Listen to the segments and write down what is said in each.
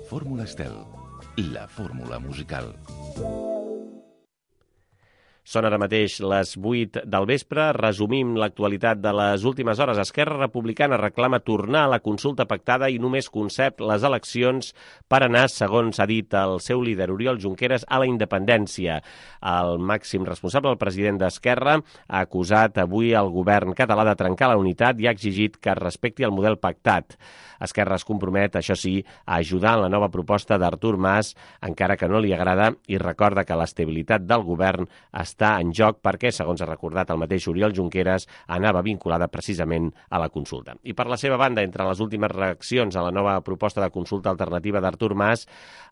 Fórmula Estel, la fórmula musical. Són ara mateix les 8 del vespre. Resumim l'actualitat de les últimes hores. Esquerra Republicana reclama tornar a la consulta pactada i només concep les eleccions per anar, segons ha dit el seu líder Oriol Junqueras, a la independència. El màxim responsable, el president d'Esquerra, ha acusat avui el govern català de trencar la unitat i ha exigit que es respecti el model pactat. Esquerra es compromet, això sí, a ajudar en la nova proposta d'Artur Mas, encara que no li agrada, i recorda que l'estabilitat del govern està en joc perquè, segons ha recordat el mateix Oriol Junqueras, anava vinculada precisament a la consulta. I per la seva banda, entre les últimes reaccions a la nova proposta de consulta alternativa d'Artur Mas,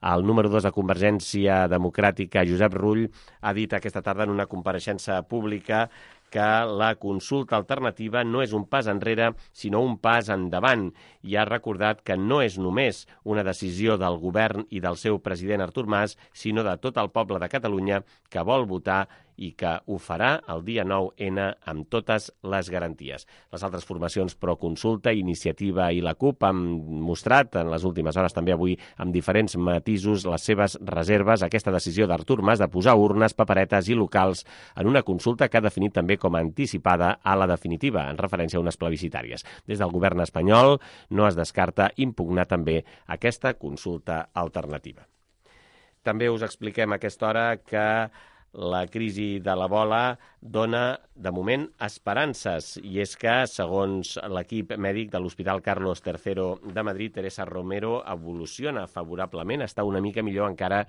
el número 2 de Convergència Democràtica, Josep Rull, ha dit aquesta tarda en una compareixença pública que la consulta alternativa no és un pas enrere, sinó un pas endavant, i ha recordat que no és només una decisió del govern i del seu president Artur Mas, sinó de tot el poble de Catalunya que vol votar i que ho farà el dia 9N amb totes les garanties. Les altres formacions pro-consulta, Iniciativa i la CUP han mostrat en les últimes hores, també avui, amb diferents matisos, les seves reserves a aquesta decisió d'Artur Mas de posar urnes, paperetes i locals en una consulta que ha definit també com a anticipada a la definitiva, en referència a unes plebiscitàries. Des del govern espanyol no es descarta impugnar també aquesta consulta alternativa. També us expliquem a aquesta hora que la crisi de l'Ebola dona, de moment, esperances. I és que, segons l'equip mèdic de l'Hospital Carlos III de Madrid, Teresa Romero evoluciona favorablement, està una mica millor encara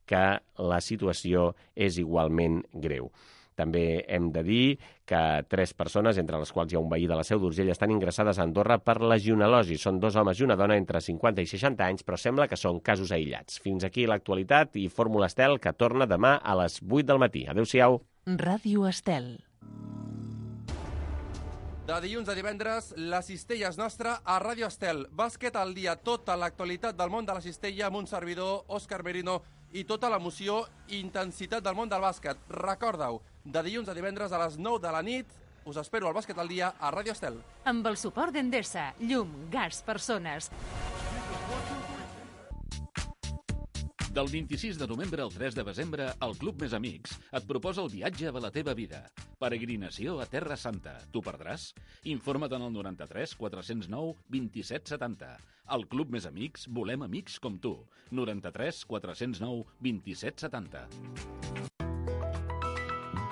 que la situació és igualment greu. També hem de dir que 3 persones, entre les quals hi ha un veí de la Seu d'Urgell, estan ingressades a Andorra per legionel·losi. Són 2 homes i una dona entre 50 i 60 anys, però sembla que són casos aïllats. Fins aquí l'actualitat i Fórmula Estel, que torna demà a les 8 del matí. Adéu-siau. Ràdio Estel. De dilluns a divendres, la cistella és nostra a Ràdio Estel. Bàsquet al dia, tota l'actualitat del món de la cistella amb un servidor, Òscar Merino, i tota l'emoció i intensitat del món del bàsquet. Recorda-ho, de dilluns a divendres a les 9 de la nit, us espero al Bàsquet al dia a Ràdio Estel. Amb el suport d'Endesa, llum, gas, persones. Del 26 de novembre al 3 de desembre, el Club Més Amics et proposa el viatge a la teva vida. Peregrinació a Terra Santa. Tu perdràs? Informa't en el 93 409 27 70. Al Club Més Amics volem amics com tu. 93 409 27 70.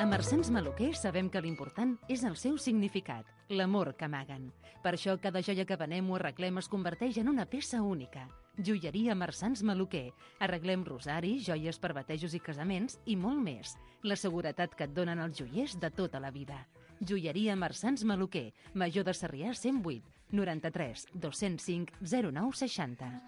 A Marsans Maluquer sabem que l'important és el seu significat, l'amor que amaguen. Per això cada joia que venem o arreglem es converteix en una peça única. Joieria Marsans Maluquer. Arreglem rosaris, joies per batejos i casaments i molt més. La seguretat que et donen els joiers de tota la vida. Joieria Marsans Maluquer, Major de Sarrià 108, 93 205 09 60.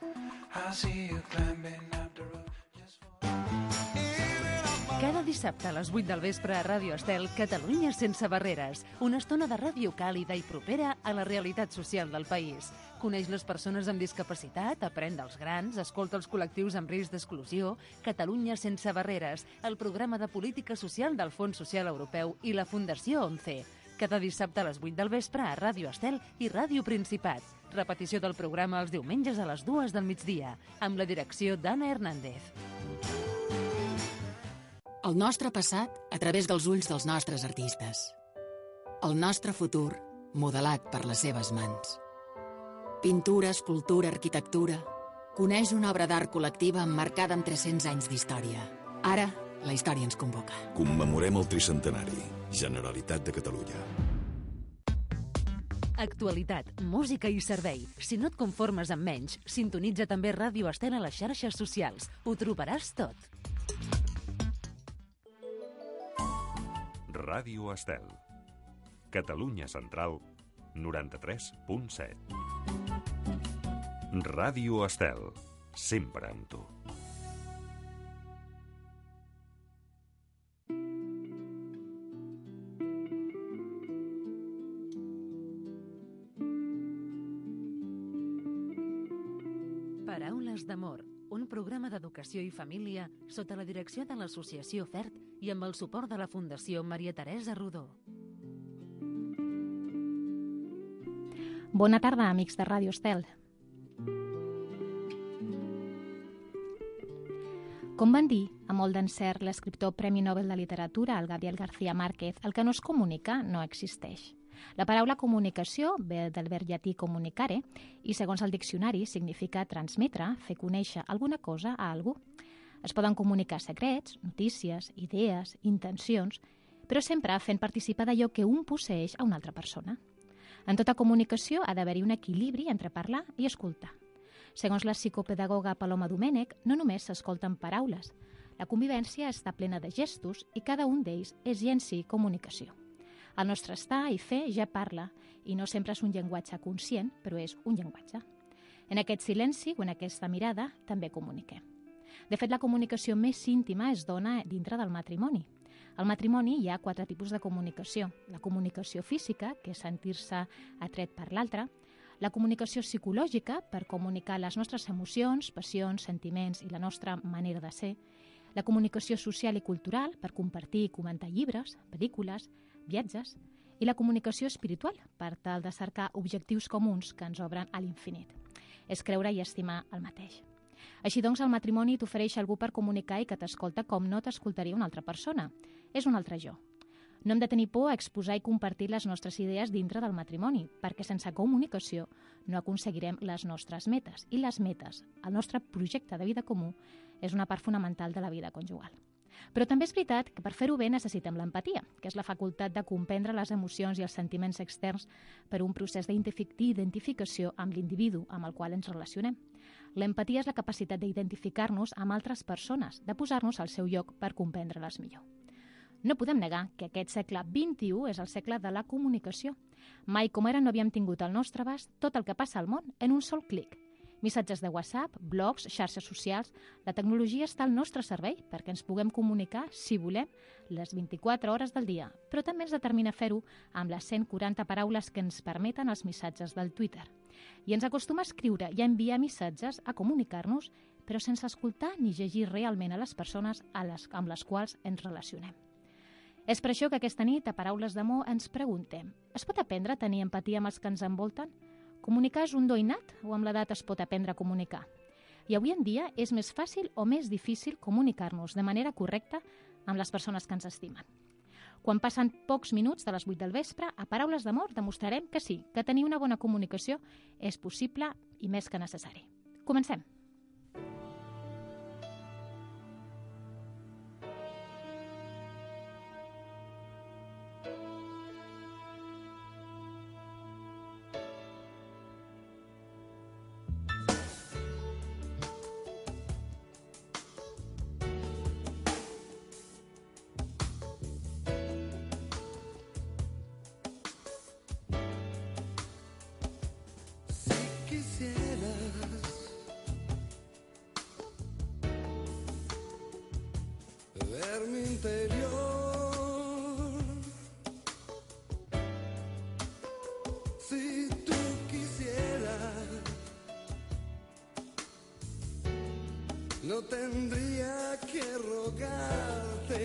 Cada dissabte a les 8 del vespre a Ràdio Estel, Catalunya sense barreres. Una estona de ràdio càlida i propera a la realitat social del país. Coneix les persones amb discapacitat, aprèn dels grans, escolta els col·lectius amb risc d'exclusió. Catalunya sense barreres, el programa de política social del Fons Social Europeu i la Fundació 11. Cada dissabte a les 8 del vespre a Ràdio Estel i Ràdio Principat. Repetició del programa els diumenges a les 2 del migdia, amb la direcció d'Anna Hernández. El nostre passat a través dels ulls dels nostres artistes. El nostre futur modelat per les seves mans. Pintura, escultura, arquitectura. Coneix una obra d'art col·lectiva emmarcada amb 300 anys d'història. Ara, la història ens convoca. Commemorem el tricentenari. Generalitat de Catalunya. Actualitat, música i servei. Si no et conformes amb menys, sintonitza també Ràdio Estel a les xarxes socials. Ho trobaràs tot. Ràdio Estel. Catalunya Central, 93.7. Ràdio Estel, sempre amb tu. Paraules d'amor, un programa d'educació i família sota la direcció de l'Associació FERT i amb el suport de la Fundació Maria Teresa Rodó. Bona tarda, amics de Ràdio Estel. Com van dir, a molt d'encert, l'escriptor Premi Nobel de Literatura, el Gabriel García Márquez, el que no es comunica no existeix. La paraula comunicació ve del verb llatí comunicare i, segons el diccionari, significa transmetre, fer conèixer alguna cosa a algú. Es poden comunicar secrets, notícies, idees, intencions, però sempre fent participar d'allò que un posseix a una altra persona. En tota comunicació ha d'haver-hi un equilibri entre parlar i escoltar. Segons la psicopedagoga Paloma Domènech, no només s'escolten paraules. La convivència està plena de gestos i cada un d'ells és ja en si comunicació. El nostre estar i fer ja parla, i no sempre és un llenguatge conscient, però és un llenguatge. En aquest silenci o en aquesta mirada també comuniquem. De fet, la comunicació més íntima es dona dintre del matrimoni. Al matrimoni hi ha 4 tipus de comunicació. La comunicació física, que és sentir-se atret per l'altre. La comunicació psicològica, per comunicar les nostres emocions, passions, sentiments i la nostra manera de ser. La comunicació social i cultural, per compartir i comentar llibres, pel·lícules, viatges. I la comunicació espiritual, per tal de cercar objectius comuns que ens obren a l'infinit. És creure i estimar el mateix. Així doncs, el matrimoni t'ofereix algú per comunicar i que t'escolta com no t'escoltaria una altra persona. És un altre jo. No hem de tenir por a exposar i compartir les nostres idees dintre del matrimoni, perquè sense comunicació no aconseguirem les nostres metes. I les metes, el nostre projecte de vida comú, és una part fonamental de la vida conjugal. Però també és veritat que per fer-ho bé necessitem l'empatia, que és la facultat de comprendre les emocions i els sentiments externs per un procés d'identificació amb l'individu amb el qual ens relacionem. L'empatia és la capacitat d'identificar-nos amb altres persones, de posar-nos al seu lloc per comprendre-les millor. No podem negar que aquest segle XXI és el segle de la comunicació. Mai com ara no havíem tingut al nostre abast tot el que passa al món en un sol clic. Missatges de WhatsApp, blogs, xarxes socials... La tecnologia està al nostre servei perquè ens puguem comunicar, si volem, les 24 hores del dia, però també ens determina fer-ho amb les 140 paraules que ens permeten els missatges del Twitter. I ens acostuma a escriure i a enviar missatges, a comunicar-nos, però sense escoltar ni llegir realment a les persones amb les quals ens relacionem. És per això que aquesta nit, a Paraules d'Amor, ens preguntem: es pot aprendre a tenir empatia amb els que ens envolten? Comunicar és un do innat o amb l'edat es pot aprendre a comunicar? I avui en dia és més fàcil o més difícil comunicar-nos de manera correcta amb les persones que ens estimen. Quan passen pocs minuts de les 8 del vespre, a Paraules d'Amor demostrarem que sí, que tenir una bona comunicació és possible i més que necessari. Comencem! Ver mi interior. Si tú quisieras, no tendría que rogarte.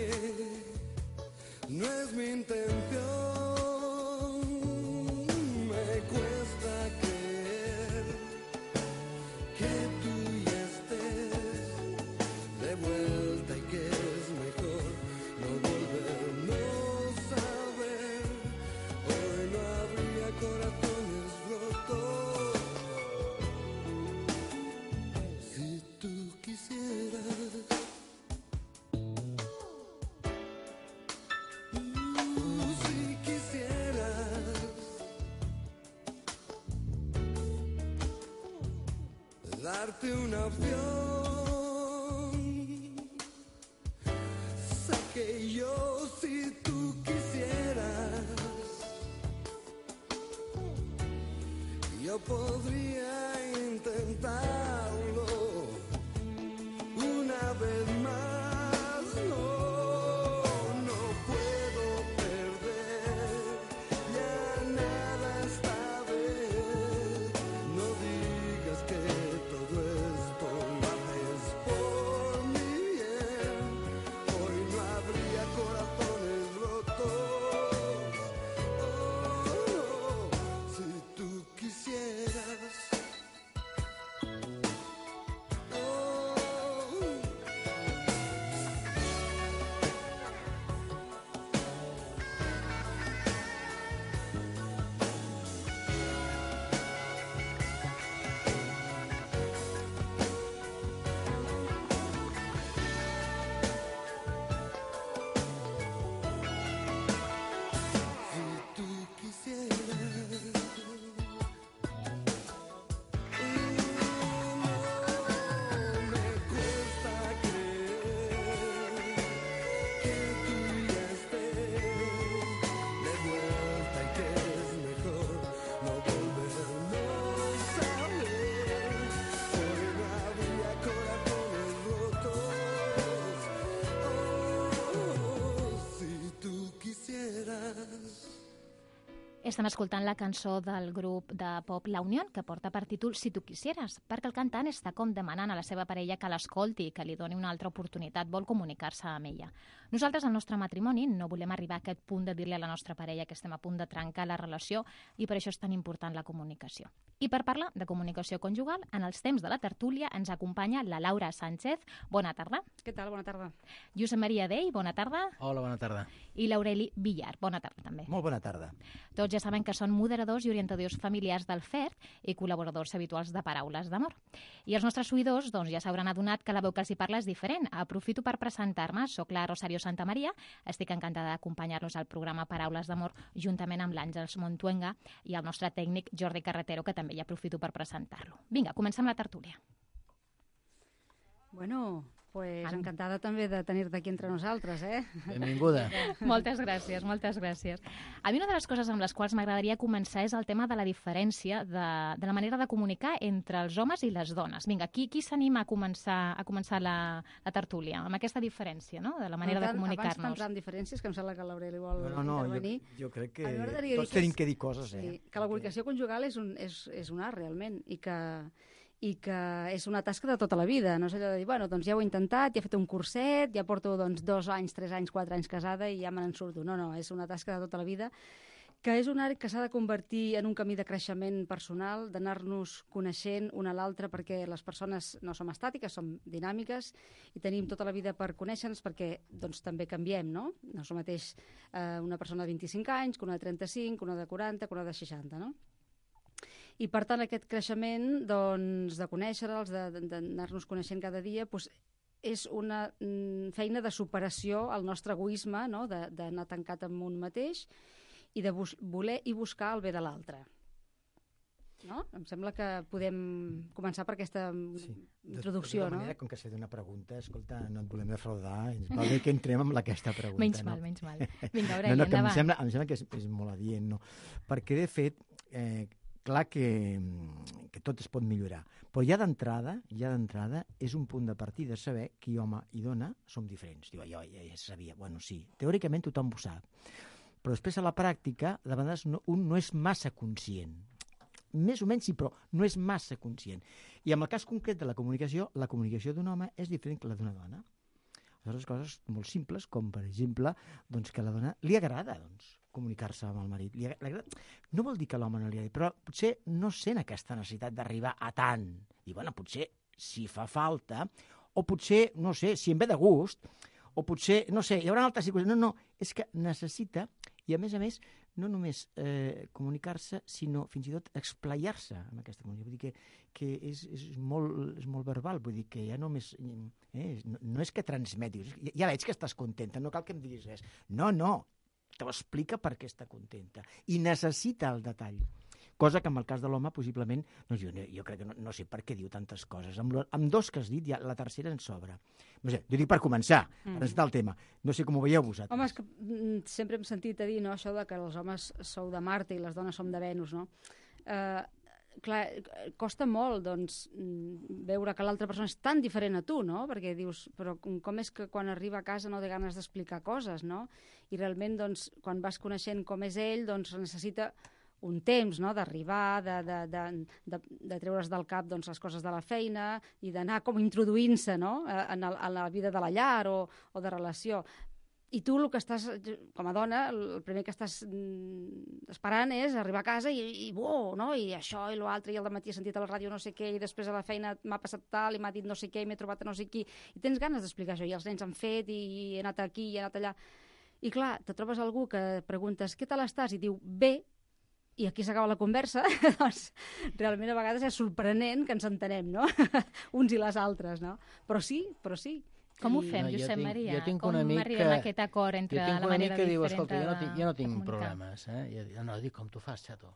No es mi intención. Me cuesta creer que tú ya estés de vuelta y que darte una opción. Sé que yo, si tú quisieras, yo podría intentarlo una vez más. No puedo perder, ya nada esta vez. No digas que todo esto lo haces por mi bien. Hoy no habría corazones rotos. Si tú quisieras. Estem escoltant la cançó del grup de pop La Unión, que porta per títol Si tu quisieras, perquè el cantant està com demanant a la seva parella que l'escolti i que li doni una altra oportunitat, vol comunicar-se amb ella. Nosaltres, al nostre matrimoni, no volem arribar a aquest punt de dir-li a la nostra parella que estem a punt de trencar la relació i per això és tan important la comunicació. I per parlar de comunicació conjugal, en els temps de la tertúlia ens acompanya la Laura Sánchez. Bona tarda. Què tal? Bona tarda. Josep Maria Dei, bona tarda. Hola, bona tarda. I l'Aureli Villar, bona tarda també. Molt bona tarda. Tots ja saben que són moderadors i orientadors familiars del FERT i col·laboradors habituals de Paraules d'Amor. I els nostres oïdors ja s'hauran adonat que la veu que els hi parla és diferent. Aprofito per presentar-me. Soc la Rosario Santamaria. Estic encantada d'acompanyar-los al programa Paraules d'Amor juntament amb l'Àngels Montuenga i el nostre tècnic Jordi Carretero, que també ja aprofito per presentar-lo. Vinga, comencem la tertúlia. Bueno, pues encantada també de tenir-te aquí entre nosaltres, eh? Benvinguda. Moltes gràcies, moltes gràcies. A mi una de les coses amb les quals m'agradaria començar és el tema de la diferència de la manera de comunicar entre els homes i les dones. Vinga, qui s'anima a començar la tertúlia amb aquesta diferència, no?, de la manera de comunicar-nos. Abans d'entrar en diferències, que em sembla que l'Aureli vol intervenir. Jo crec que tots tenim que dir coses, eh? Sí, que la comunicació conjugal és un art, realment, i que és una tasca de tota la vida, no és allò de dir, bueno, doncs ja ho he intentat, ja he fet un curset, ja porto 2 anys, 3 anys, 4 anys casada i ja me n'en surto. No, és una tasca de tota la vida, que és un art que s'ha de convertir en un camí de creixement personal, d'anar-nos coneixent una a l'altra, perquè les persones no som estàtiques, som dinàmiques i tenim tota la vida per conèixer-nos, perquè doncs, també canviem, no? No és el mateix una persona de 25 anys que una de 35, que una de 40, que una de 60, no? I, per tant, aquest creixement de conèixer-los, d'anar-nos coneixent cada dia, és una feina de superació al nostre egoisme, no?, d'anar tancat amb un mateix i de voler i buscar el bé de l'altre. No? Em sembla que podem començar per aquesta introducció, no? De manera, com que s'ha fet una pregunta, escolta, no et volem defraudar, ens va bé que entrem amb aquesta pregunta. Menys mal. Vinga, Aureli, endavant. Em sembla que és molt adient, no? Perquè, de fet, clar que tot es pot millorar, però ja d'entrada és un punt de partida saber que home i dona som diferents. Diu, jo ja sabia. Bueno, sí, teòricament tothom ho sap, però després a la pràctica de vegades un no és massa conscient. Més o menys sí, però no és massa conscient. I en el cas concret de la comunicació d'un home és diferent que la d'una dona. Aleshores, coses molt simples, com per exemple que a la dona li agrada comunicar-se amb el marit. No vol dir que a l'home no li agradi, però potser no sent aquesta necessitat d'arribar a tant. I bueno, potser si fa falta, o potser, no sé, si en ve de gust, o potser, no sé, hi haurà altres circumstàncies. No, és que necessita, i a més, no només comunicar-se, sinó fins i tot esplaiar-se amb aquesta comunicació. Vull dir que és molt verbal, vull dir que ja només... no és que transmetis, ja veig que estàs contenta, no cal que em diguis res. No, t'ho explica per què està contenta. I necessita el detall. Cosa que en el cas de l'home, possiblement, jo crec que no sé per què diu tantes coses. Amb 2 que has dit, ja la tercera en sobra. No sé, jo dic per començar, per presentar el tema. No sé com ho veieu vosaltres. Home, és que sempre hem sentit a dir, no?, això de que els homes sou de Marte i les dones som de Venus, no? Clar, costa molt, veure que l'altra persona és tan diferent a tu, no? Perquè dius, però com és que quan arriba a casa no té ganes d'explicar coses, no? I realment, quan vas coneixent com és ell, necessita un temps, no?, d'arribar, de treure's del cap les coses de la feina i d'anar com introduint-se, no?, en la vida de la llar o de relació. I tu el que estàs, com a dona, el primer que estàs esperant és arribar a casa i no?, i això i l'altre, i al dematí he sentit a la ràdio no sé què, i després a la feina m'ha passat tal, i m'ha dit no sé què, i m'he trobat a no sé qui, i tens ganes d'explicar això, i els nens han fet, i he anat aquí, i he anat allà. I clar, te trobes algú que preguntes què tal estàs, i diu bé, i aquí s'acaba la conversa, realment a vegades és sorprenent que ens entenem, no?, uns i les altres, no? Però sí. Com ho fem, Josep Maria? Com arribem a aquest acord entre la manera diferent de diu, escolta, jo no tinc problemes, no, dic, com tu fas, xato.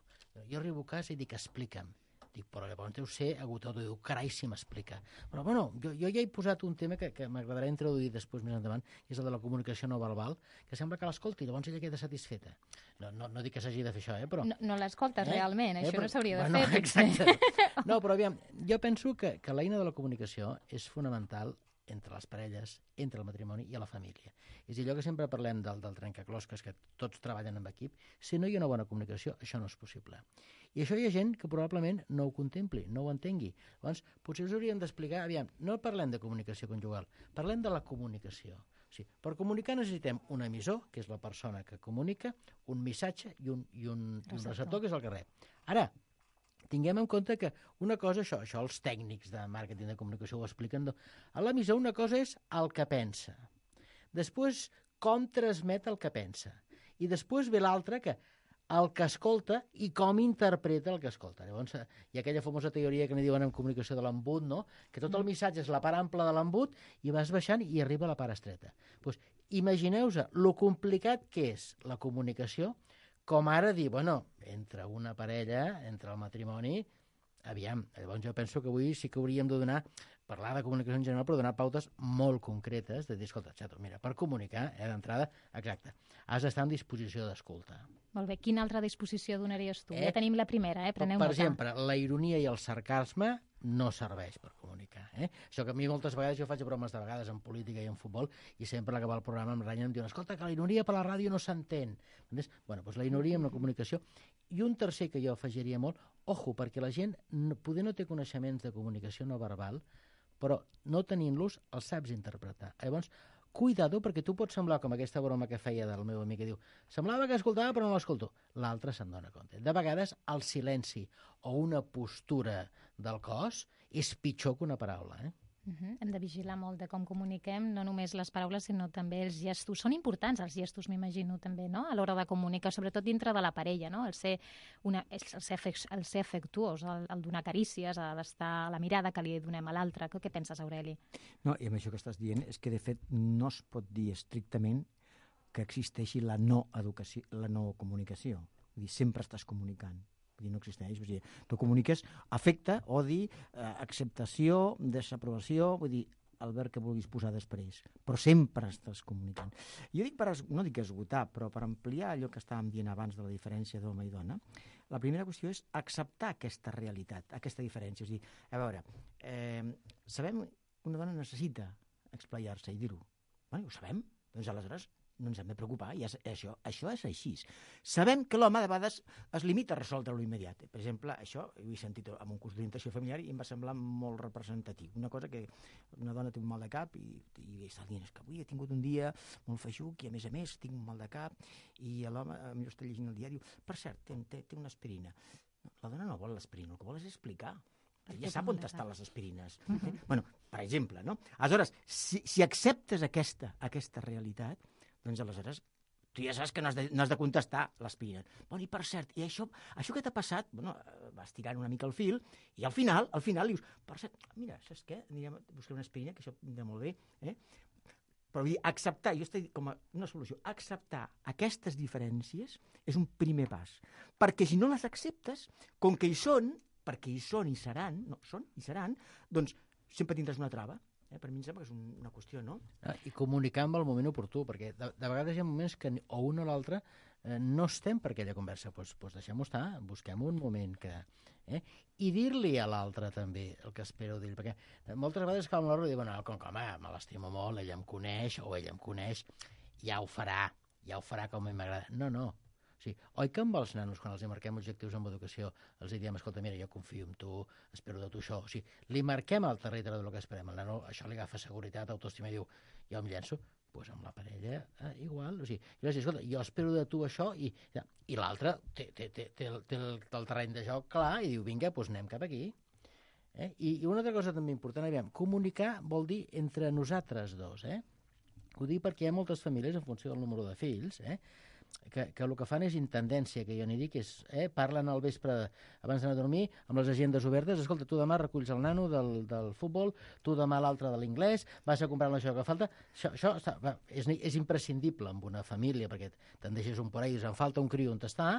Jo arribo a casa i dic, explica'm. Dic, però llavors deu ser agotador. Diu, carai, si m'explica. Però, bueno, jo ja he posat un tema que m'agradarà introduir després més endavant, que és el de la comunicació no verbal, que sembla que l'escolti, llavors ella queda satisfeta. No dic que s'hagi de fer això, però... No l'escoltes realment, això no s'hauria de fer. Exacte. No, però aviam, jo penso que l'eina de la comunicació és fonamental entre les parelles, entre el matrimoni i a la família. És allò que sempre parlem del trencaclosques, que tots treballen en equip. Si no hi ha una bona comunicació, això no és possible. I això hi ha gent que probablement no ho contempli, no ho entengui. Llavors, potser us hauríem d'explicar, aviam, no parlem de comunicació conjugal, parlem de la comunicació. O sigui, per comunicar necessitem un emissor, que és la persona que comunica, un missatge i un receptor, que és el que rep. Ara, tinguem en compte que una cosa, això els tècnics de màrqueting de comunicació ho expliquen, a l'emissor una cosa és el que pensa, després com transmet el que pensa, i després ve l'altre, que el que escolta i com interpreta el que escolta. Llavors, hi ha aquella famosa teoria que n'hi diuen en comunicació de l'embut, no? Que tot el missatge és la part ampla de l'embut i vas baixant i arriba a la part estreta. Pues, imagineu-vos lo complicat que és la comunicació, com ara dir, bueno, entre una parella, entre el matrimoni, aviam, llavors jo penso que avui sí que hauríem de parlar de comunicació en general, però donar pautes molt concretes, de dir, escolta, xato, mira, per comunicar, d'entrada, exacte, has d'estar en disposició d'escoltar. Molt bé, quina altra disposició donaries tu? Ja tenim la primera, preneu nota. Per exemple, la ironia i el sarcasme no serveix per comunicar. Això que a mi moltes vegades, jo faig bromes de vegades en política i en futbol, i sempre a l'acabar el programa em renyen, em diuen, escolta, que la ironia per la ràdio no s'entén. Bueno, doncs la ironia amb la comunicació. I un tercer que jo afegiria molt, ojo, perquè la gent poder no té coneixements de comunicació no verbal, però no tenint-los els saps interpretar. Llavors, cuidado, perquè tu pots semblar com aquesta broma que feia del meu amic que diu semblava que escoltava però no l'escolto. L'altre se'n dona compte. De vegades el silenci o una postura del cos és pitjor que una paraula. Hem de vigilar molt de com comuniquem, no només les paraules, sinó també els gestos. Són importants els gestos, m'imagino, també, no? A l'hora de comunicar, sobretot dintre de la parella, no? El ser afectuós, el donar carícies, d'estar a la mirada que li donem a l'altre. Què penses, Aureli? No, i amb això que estàs dient és que, de fet, no es pot dir estrictament que existeixi la no educació, la no comunicació. Vull dir, sempre estàs comunicant. Vull dir, no existeix. Vull dir, tu comuniques afecte, odi, acceptació, desaprovació, vull dir, el verb que vulguis posar després. Però sempre estàs comunicant. Jo dic, no dic esgotar, però per ampliar allò que estàvem dient abans de la diferència d'home i dona, la primera qüestió és acceptar aquesta realitat, aquesta diferència. És a dir, a veure, sabem que una dona necessita explaiar-se i dir-ho. Ho sabem? Doncs aleshores no ens hem de preocupar, i això és així. Sabem que l'home de vegades es limita a resoldre-lo immediat. Per exemple, això ho he sentit en un curs d'orientació familiar i em va semblar molt representatiu. Una cosa que una dona té un mal de cap i està dient, és que avui he tingut un dia molt feixuc i a més tinc un mal de cap, i l'home millor està llegint el diari i diu, per cert, té una aspirina. La dona no vol l'aspirina, el que vol és explicar. Ja sap on estan les aspirines. Bueno, per exemple, no? Aleshores, si acceptes aquesta realitat, doncs aleshores tu ja saps que no has de contestar l'aspirina. Bueno, i per cert, i això que t'ha passat, bueno, vas tirant una mica el fil, i al final dius, per cert, mira, saps què? Anirem a buscar una aspirina, que això anirà molt bé, Però vull dir, acceptar, jo estic com a una solució, acceptar aquestes diferències és un primer pas. Perquè si no les acceptes, com que hi són, perquè hi són i seran, doncs sempre tindràs una trava. Per mi em sembla que és una qüestió, no? I comunicar amb el moment oportú, perquè de vegades hi ha moments que o un o l'altre no estem per aquella conversa. Doncs deixem-ho estar, busquem un moment que... I dir-li a l'altre també el que espero dir, perquè moltes vegades cal una hora de dir, bueno, com que me l'estimo molt, ella em coneix o ella em coneix, ja ho farà com a mi m'agrada. No. Sí. Oi que amb els nanos, quan els marquem objectius en educació, els diem, escolta, mira, jo confio en tu, espero de tu això. O sigui, li marquem al territori del que esperem. El nano això li agafa seguretat, autoestima i diu, jo em llenço. Doncs amb la parella, igual. O sigui, escolta, jo espero de tu això, i l'altre té el terreny de joc clar i diu, vinga, doncs anem cap aquí. I una altra cosa també important, aviam, comunicar vol dir entre nosaltres dos. Ho dic perquè hi ha moltes famílies, en funció del número de fills, que el que fan és intendència, que jo n'hi dic, parlen al vespre abans d'anar a dormir amb les agendes obertes, escolta, tu demà reculls el nano del futbol, tu demà l'altre de l'inglès, vas a comprar això que falta. Això és imprescindible en una família, perquè te'n deixes un por ahí, en falta un criu on està,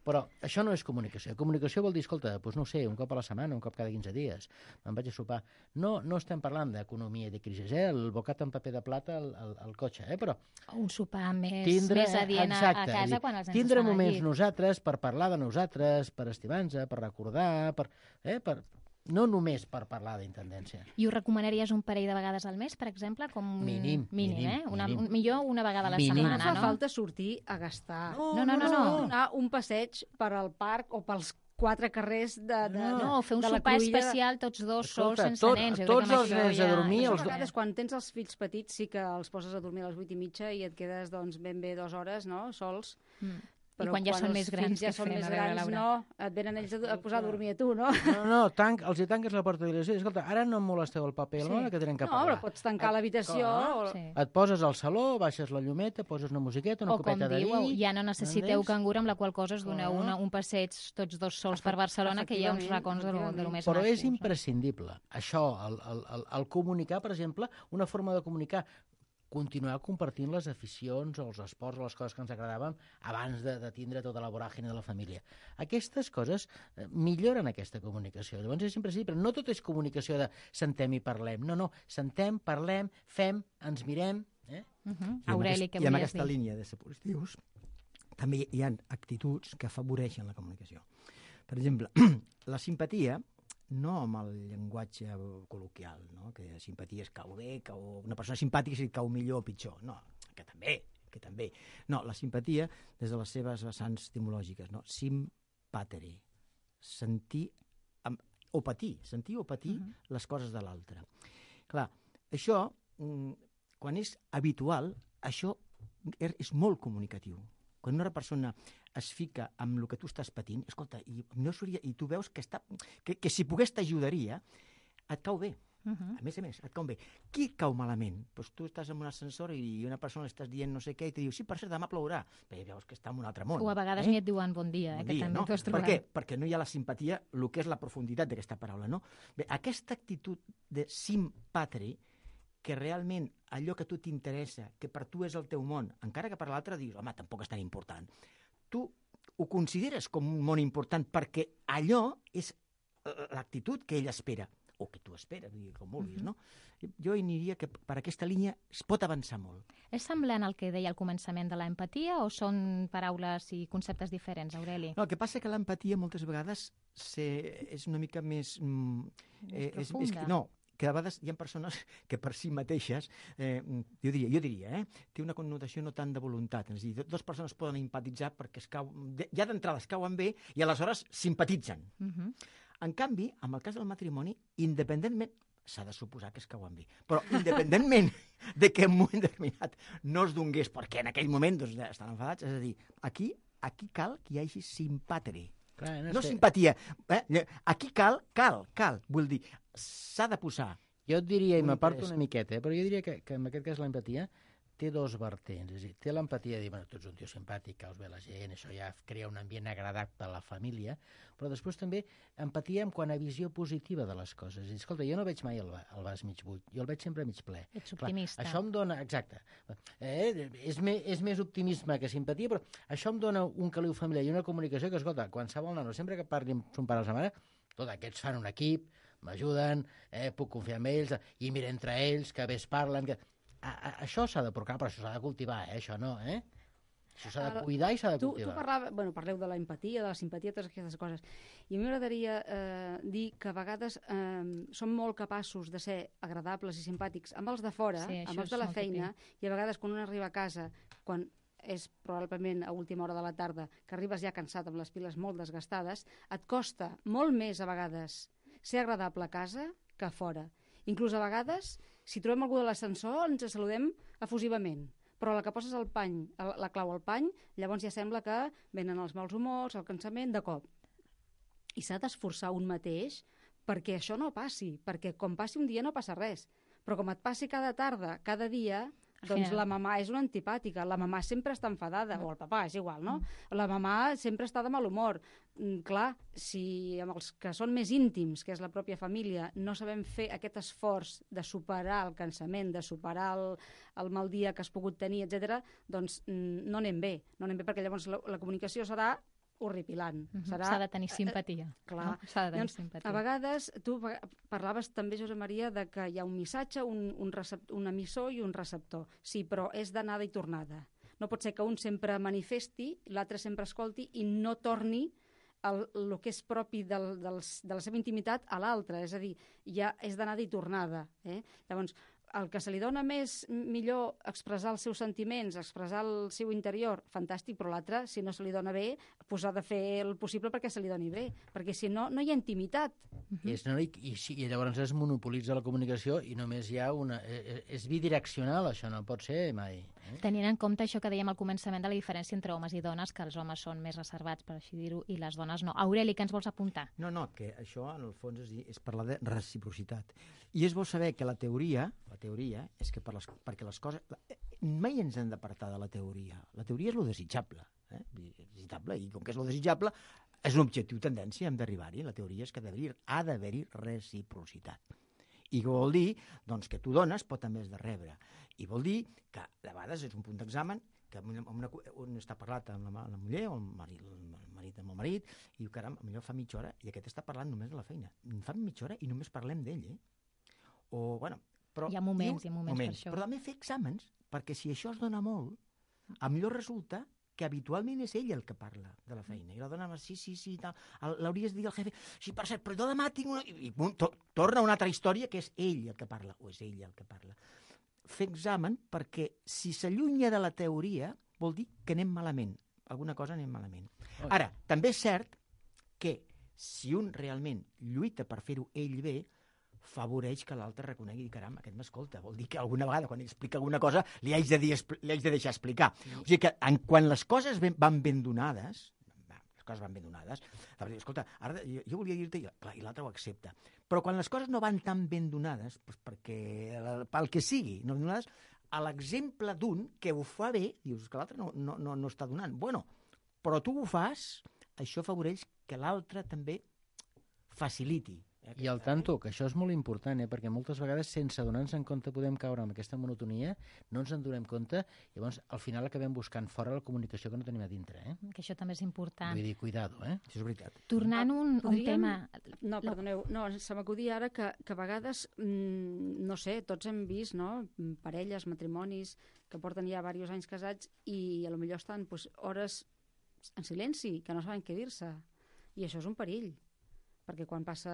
però això no és comunicació. Comunicació vol dir, escolta, doncs no sé, un cop a la setmana, un cop cada 15 dies, me'n vaig a sopar. No estem parlant d'economia i de crisi, el bocat en paper de plata al cotxe, però... Un sopar més adient a casa quan els nens tindre moments nosaltres per parlar de nosaltres, per estimar-nos, per recordar, no només per parlar d'intendència. I ho recomanaries un parell de vegades al mes, per exemple? Mínim, millor una vegada a la setmana, no? No fa falta sortir a gastar. No. Donar un passeig per al parc o pels 4 carrers de fer un sopar especial tots dos sols, sense nens. Tots els nens a dormir... A vegades, quan tens els fills petits, sí que els poses a dormir a les 8:30 i et quedes ben bé 2 hores, no?, sols. I quan ja són més grans, ja són més grans, no, et venen ells a posar a dormir a tu, no? No, els hi tanques la porta de l'habitació. Escolta, ara no em molesteu el paper, que tenen que parlar. No, però pots tancar l'habitació. Et poses al saló, baixes la llumeta, poses una musiqueta, una copeta de vi... O com diu, ja no necessiteu cangur, amb la qual cosa us doneu un passeig tots dos sols per Barcelona, que hi ha uns racons de lo més macos. Però és imprescindible. Això, el comunicar, per exemple, una forma de comunicar, continuar compartint les aficions o els esports o les coses que ens agradaven abans de tindre tota la voràgine de la família. Aquestes coses milloren aquesta comunicació. Llavors és imprescindible. No tot és comunicació de sentem i parlem. No, sentem, parlem, fem, ens mirem. Aureli, què volies dir? I en aquesta línia de ser positius també hi ha actituds que afavoreixen la comunicació. Per exemple, la simpatia, no amb el llenguatge col·loquial, no? Que simpatia es cau bé, una persona simpàtica si cau millor o pitjor. No, que també. No, la simpatia, des de les seves vessants etimològiques, no? Sympathy, sentir o patir les coses de l'altre. Clar, això, quan és habitual, això és molt comunicatiu. Quan una persona es fica amb el que tu estàs patint, escolta, i tu veus que si pogués t'ajudaria, et cau bé. A més, et cau bé. Qui cau malament? Doncs tu estàs en un ascensor i una persona li estàs dient no sé què i te diu, sí, per cert, demà plourà. Bé, veus que està en un altre món. O a vegades ni et diuen bon dia, que també t'ho has trobat. Per què? Perquè no hi ha la simpatia, el que és la profunditat d'aquesta paraula, no? Bé, aquesta actitud de sympathy, que realment allò que a tu t'interessa, que per tu és el teu món, encara que per l'altre dius, home, tampoc és tan important. Tu ho consideres com un món important perquè allò és l'actitud que ell espera, o que tu esperes, com vulguis, no? Jo aniria que per aquesta línia es pot avançar molt. És semblant al que deia al començament de l'empatia o són paraules i conceptes diferents, Aureli? No, el que passa és que l'empatia moltes vegades és una mica més... Més profunda. Que a vegades hi ha persones que per si mateixes, jo diria, té una connotació no tant de voluntat. És a dir, dues persones poden empatitzar perquè ja d'entrada es cauen bé i aleshores simpatitzen. En canvi, en el cas del matrimoni, independentment, s'ha de suposar que es cauen bé, però independentment de que en un moment determinat no es donés perquè en aquell moment estan enfadats, és a dir, aquí cal que hi hagi simpatia. No simpatia. Aquí cal, vull dir, s'ha de posar. Jo et diria, i m'aparto una miqueta, però jo diria que en aquest cas l'empatia té dos vertents. És a dir, té l'empatia de dir, bueno, tu ets un tio simpàtic, caus bé la gent, això ja crea un ambient agradable a la família, però després també empatia en quant a visió positiva de les coses. És a dir, escolta, jo no veig mai el vas mig buit, jo el veig sempre mig ple. Ets optimista. Clar, això em dona, exacte, és més optimisme que simpatia, però això em dona un caliu familiar i una comunicació que, escolta, qualsevol nano, sempre que parli amb son pare o sa mare, tot aquests fan un equip, m'ajuden, puc confiar en ells, i mira entre ells, que bé es parlen... Això s'ha de procurar, però això s'ha de cultivar, això no, Això s'ha de cuidar i s'ha de cultivar. Tu parleu de l'empatia, de la simpatia, totes aquestes coses. I a mi m'agradaria dir que a vegades som molt capaços de ser agradables i simpàtics amb els de fora, amb els de la feina, i a vegades quan un arriba a casa, quan és probablement a última hora de la tarda, que arribes ja cansat amb les piles molt desgastades, et costa molt més a vegades ser agradable a casa que a fora. Inclús a vegades, si trobem algú de l'ascensor, ens saludem efusivament. Però a la que poses el pany, la clau al pany, llavors ja sembla que venen els mals humors, el cansament, de cop. I s'ha d'esforçar un mateix perquè això no passi, perquè com passi un dia no passa res. Però com et passi cada tarda, cada dia, doncs la mamà és una antipàtica, la mamà sempre està enfadada, o el papà, és igual, no? La mamà sempre està de mal humor. Clar, si amb els que són més íntims, que és la pròpia família, no sabem fer aquest esforç de superar el cansament, de superar el mal dia que has pogut tenir, etc., doncs no anem bé. No anem bé perquè llavors la comunicació serà horripilant. S'ha de tenir simpatia. Clar. S'ha de tenir simpatia. A vegades, tu parlaves també, Josep Maria, de que hi ha un missatge, un emissor i un receptor. Sí, però és d'anada i tornada. No pot ser que un sempre manifesti, l'altre sempre escolti i no torni el que és propi de la seva intimitat a l'altre, és a dir, ja és d'anada i tornada. Llavors, el que se li dona millor expressar els seus sentiments, expressar el seu interior, fantàstic, però l'altre, si no se li dona bé, doncs ha de fer el possible perquè se li doni bé, perquè si no, no hi ha intimitat. I llavors es monopolitza la comunicació i només hi ha és bidireccional, això no pot ser mai. Tenint en compte això que dèiem al començament de la diferència entre homes i dones, que els homes són més reservats, per així dir-ho, i les dones no. Aureli, què ens vols apuntar? No, que això, en el fons, és parlar de reciprocitat. I és bo saber que la teoria és que perquè les coses... Mai ens hem d'apartar de la teoria. La teoria és lo desitjable. Desitjable, i com que és lo desitjable, és un objectiu tendència, hem d'arribar-hi. La teoria és que ha d'haver-hi reciprocitat. I què vol dir? Doncs que tu dones, però també has de rebre. I vol dir que, de vegades, és un punt d'examen que un està parlat amb la muller o el marit amb el marit i diu, caram, potser fa mitja hora i aquest està parlant només de la feina. Fa mitja hora i només parlem d'ell, O, bueno... Però, hi ha moments per això. Però també fer exàmens, perquè si això es dona molt, millor resulta que habitualment és ell el que parla de la feina. I la dona, sí, l'hauries de dir al jefe, sí, per cert, però jo demà tinc una... I torna una altra història que és ell el que parla, o és ell el que parla. Fer examen perquè si s'allunya de la teoria vol dir que anem malament. Alguna cosa anem malament. Ara, també és cert que si un realment lluita per fer-ho ell bé, favoreix que l'altre reconegui i caram, aquest m'escolta. Vol dir que alguna vegada, quan explica alguna cosa, li haig de deixar explicar. O sigui que quan les coses van ben donades, escolta, ara jo volia dir-te, i l'altre ho accepta, però quan les coses no van tan ben donades, doncs perquè pel que sigui, no ben donades, a l'exemple d'un que ho fa bé, dius que l'altre no està donant. Bueno, però tu ho fas, això afavoreix que l'altre també faciliti. I al tanto, que això és molt important, perquè moltes vegades, sense donar-nos en compte, podem caure en aquesta monotonia, no ens en donem compte, i llavors al final acabem buscant fora la comunicació que no tenim a dintre. Que això també és important. Vull dir, cuidado, Això és veritat. Tornant un tema... No, perdoneu, se m'acudia ara que a vegades, no sé, tots hem vist, no?, parelles, matrimonis, que porten ja diversos anys casats i a lo millor estan hores en silenci, que no saben què dir-se. I això és un perill, perquè quan passa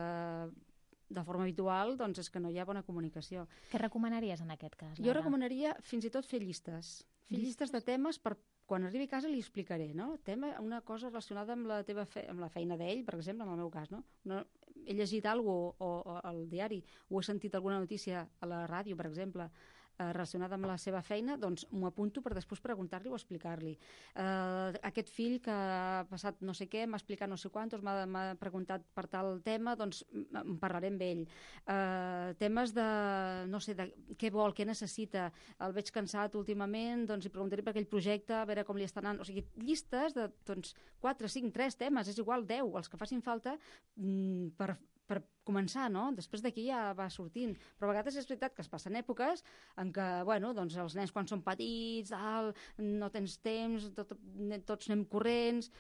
de forma habitual, doncs és que no hi ha bona comunicació. Què recomanaries en aquest cas, Laura? Jo recomanaria fins i tot fer llistes. Fer llistes de temes per quan arribi a casa li explicaré, no? Una cosa relacionada amb la feina d'ell, per exemple, en el meu cas, no? He llegit alguna cosa al diari o he sentit alguna notícia a la ràdio, per exemple, relacionada amb la seva feina, doncs m'ho apunto per després preguntar-li o explicar-li. Aquest fill que ha passat no sé què, m'ha explicat no sé quantos, m'ha preguntat per tal tema, doncs en parlaré amb ell. Temes de, no sé, de què vol, què necessita, el veig cansat últimament, doncs li preguntaré per aquell projecte, a veure com li està anant. O sigui, llistes de 4, 5, 3 temes, és igual 10, els que facin falta per començar, no? Després d'aquí ja va sortint. Però a vegades és veritat que es passen èpoques en què, bueno, doncs els nens quan són petits, no tens temps, tots anem corrents,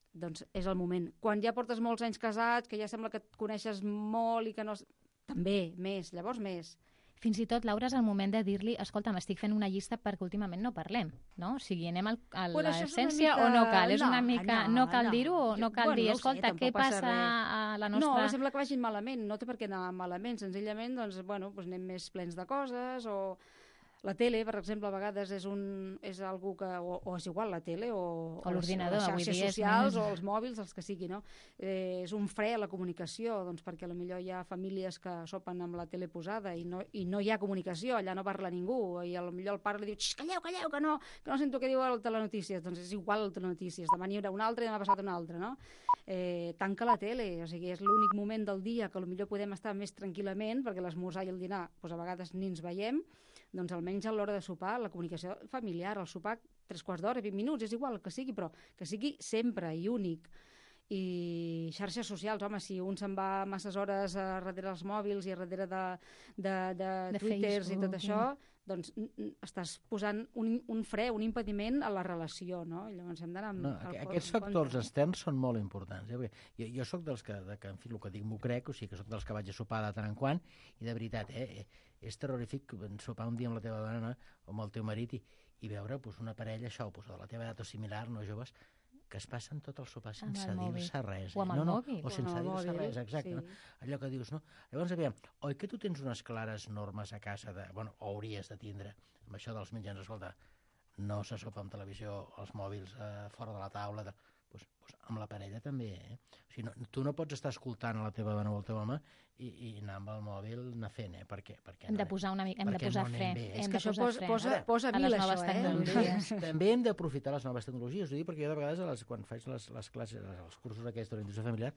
doncs és el moment. Quan ja portes molts anys casats, que ja sembla que et coneixes molt i que no... També, llavors més. Fins i tot, Laura, és el moment de dir-li escolta, m'estic fent una llista perquè últimament no parlem, no? O sigui, anem a l'essència o no cal? És una mica... No cal dir-ho o no cal dir, escolta, què passa a la nostra... No, sembla que vagin malament, no té per què anar malament, senzillament, doncs, bueno, anem més plens de coses o... La tele, per exemple, a vegades és algú que... O és igual, la tele o l'ordinador, les xarxes socials o els mòbils, els que sigui, no? És un fre a la comunicació, doncs perquè potser hi ha famílies que sopen amb la tele posada i no hi ha comunicació, allà no parla ningú, i potser el pare li diu calleu, que no sento què diu el telenotícies. Doncs és igual el telenotícies, demà n'hi haurà un altre i demà passat un altre, no? Tanca la tele, o sigui, és l'únic moment del dia que potser podem estar més tranquil·lament, perquè l'esmorzar i el dinar, doncs a vegades ni ens veiem, doncs almenys a l'hora de sopar, la comunicació familiar, el sopar 3/4 d'hora, 20 minuts, és igual el que sigui, però que sigui sempre i únic. I xarxes socials, home, si un se'n va masses hores darrere els mòbils i darrere de Twitters i tot això, doncs estàs posant un fre, un impediment a la relació, no? I llavors hem d'anar... Aquests factors externs són molt importants. Jo soc dels que, en fi, el que dic m'ho crec, o sigui que soc dels que vaig a sopar de tant en quant, i de veritat, és terrorífic sopar un dia amb la teva dona o amb el teu marit i veure una parella, això, de la teva edat o similar, no joves, que es passen tot el sopar Amb sense el mòbil. dir-se res. O amb el mòbil. O sense O amb el dir-se mòbil, res, exacte. sí. No? Allò que dius, no? Llavors, aviam, oi que tu tens unes clares normes a casa, o hauries de tindre, amb això dels mitjans, escolta, no se sopa amb televisió, els mòbils fora de la taula, pues amb la parella també, eh? O sigui, tu no pots estar escoltant a la teva dona o al teu home i anar amb el mòbil anar fent, perquè Hem de posar una mica, hem de perquè posar no fre. anem bé. És Hem que de això posar fre posa a mil, les noves això, tecnologies. També hem d'aprofitar les noves tecnologies, ho dic perquè jo de vegades quan faig les classes, els cursos aquests d'orientació familiar,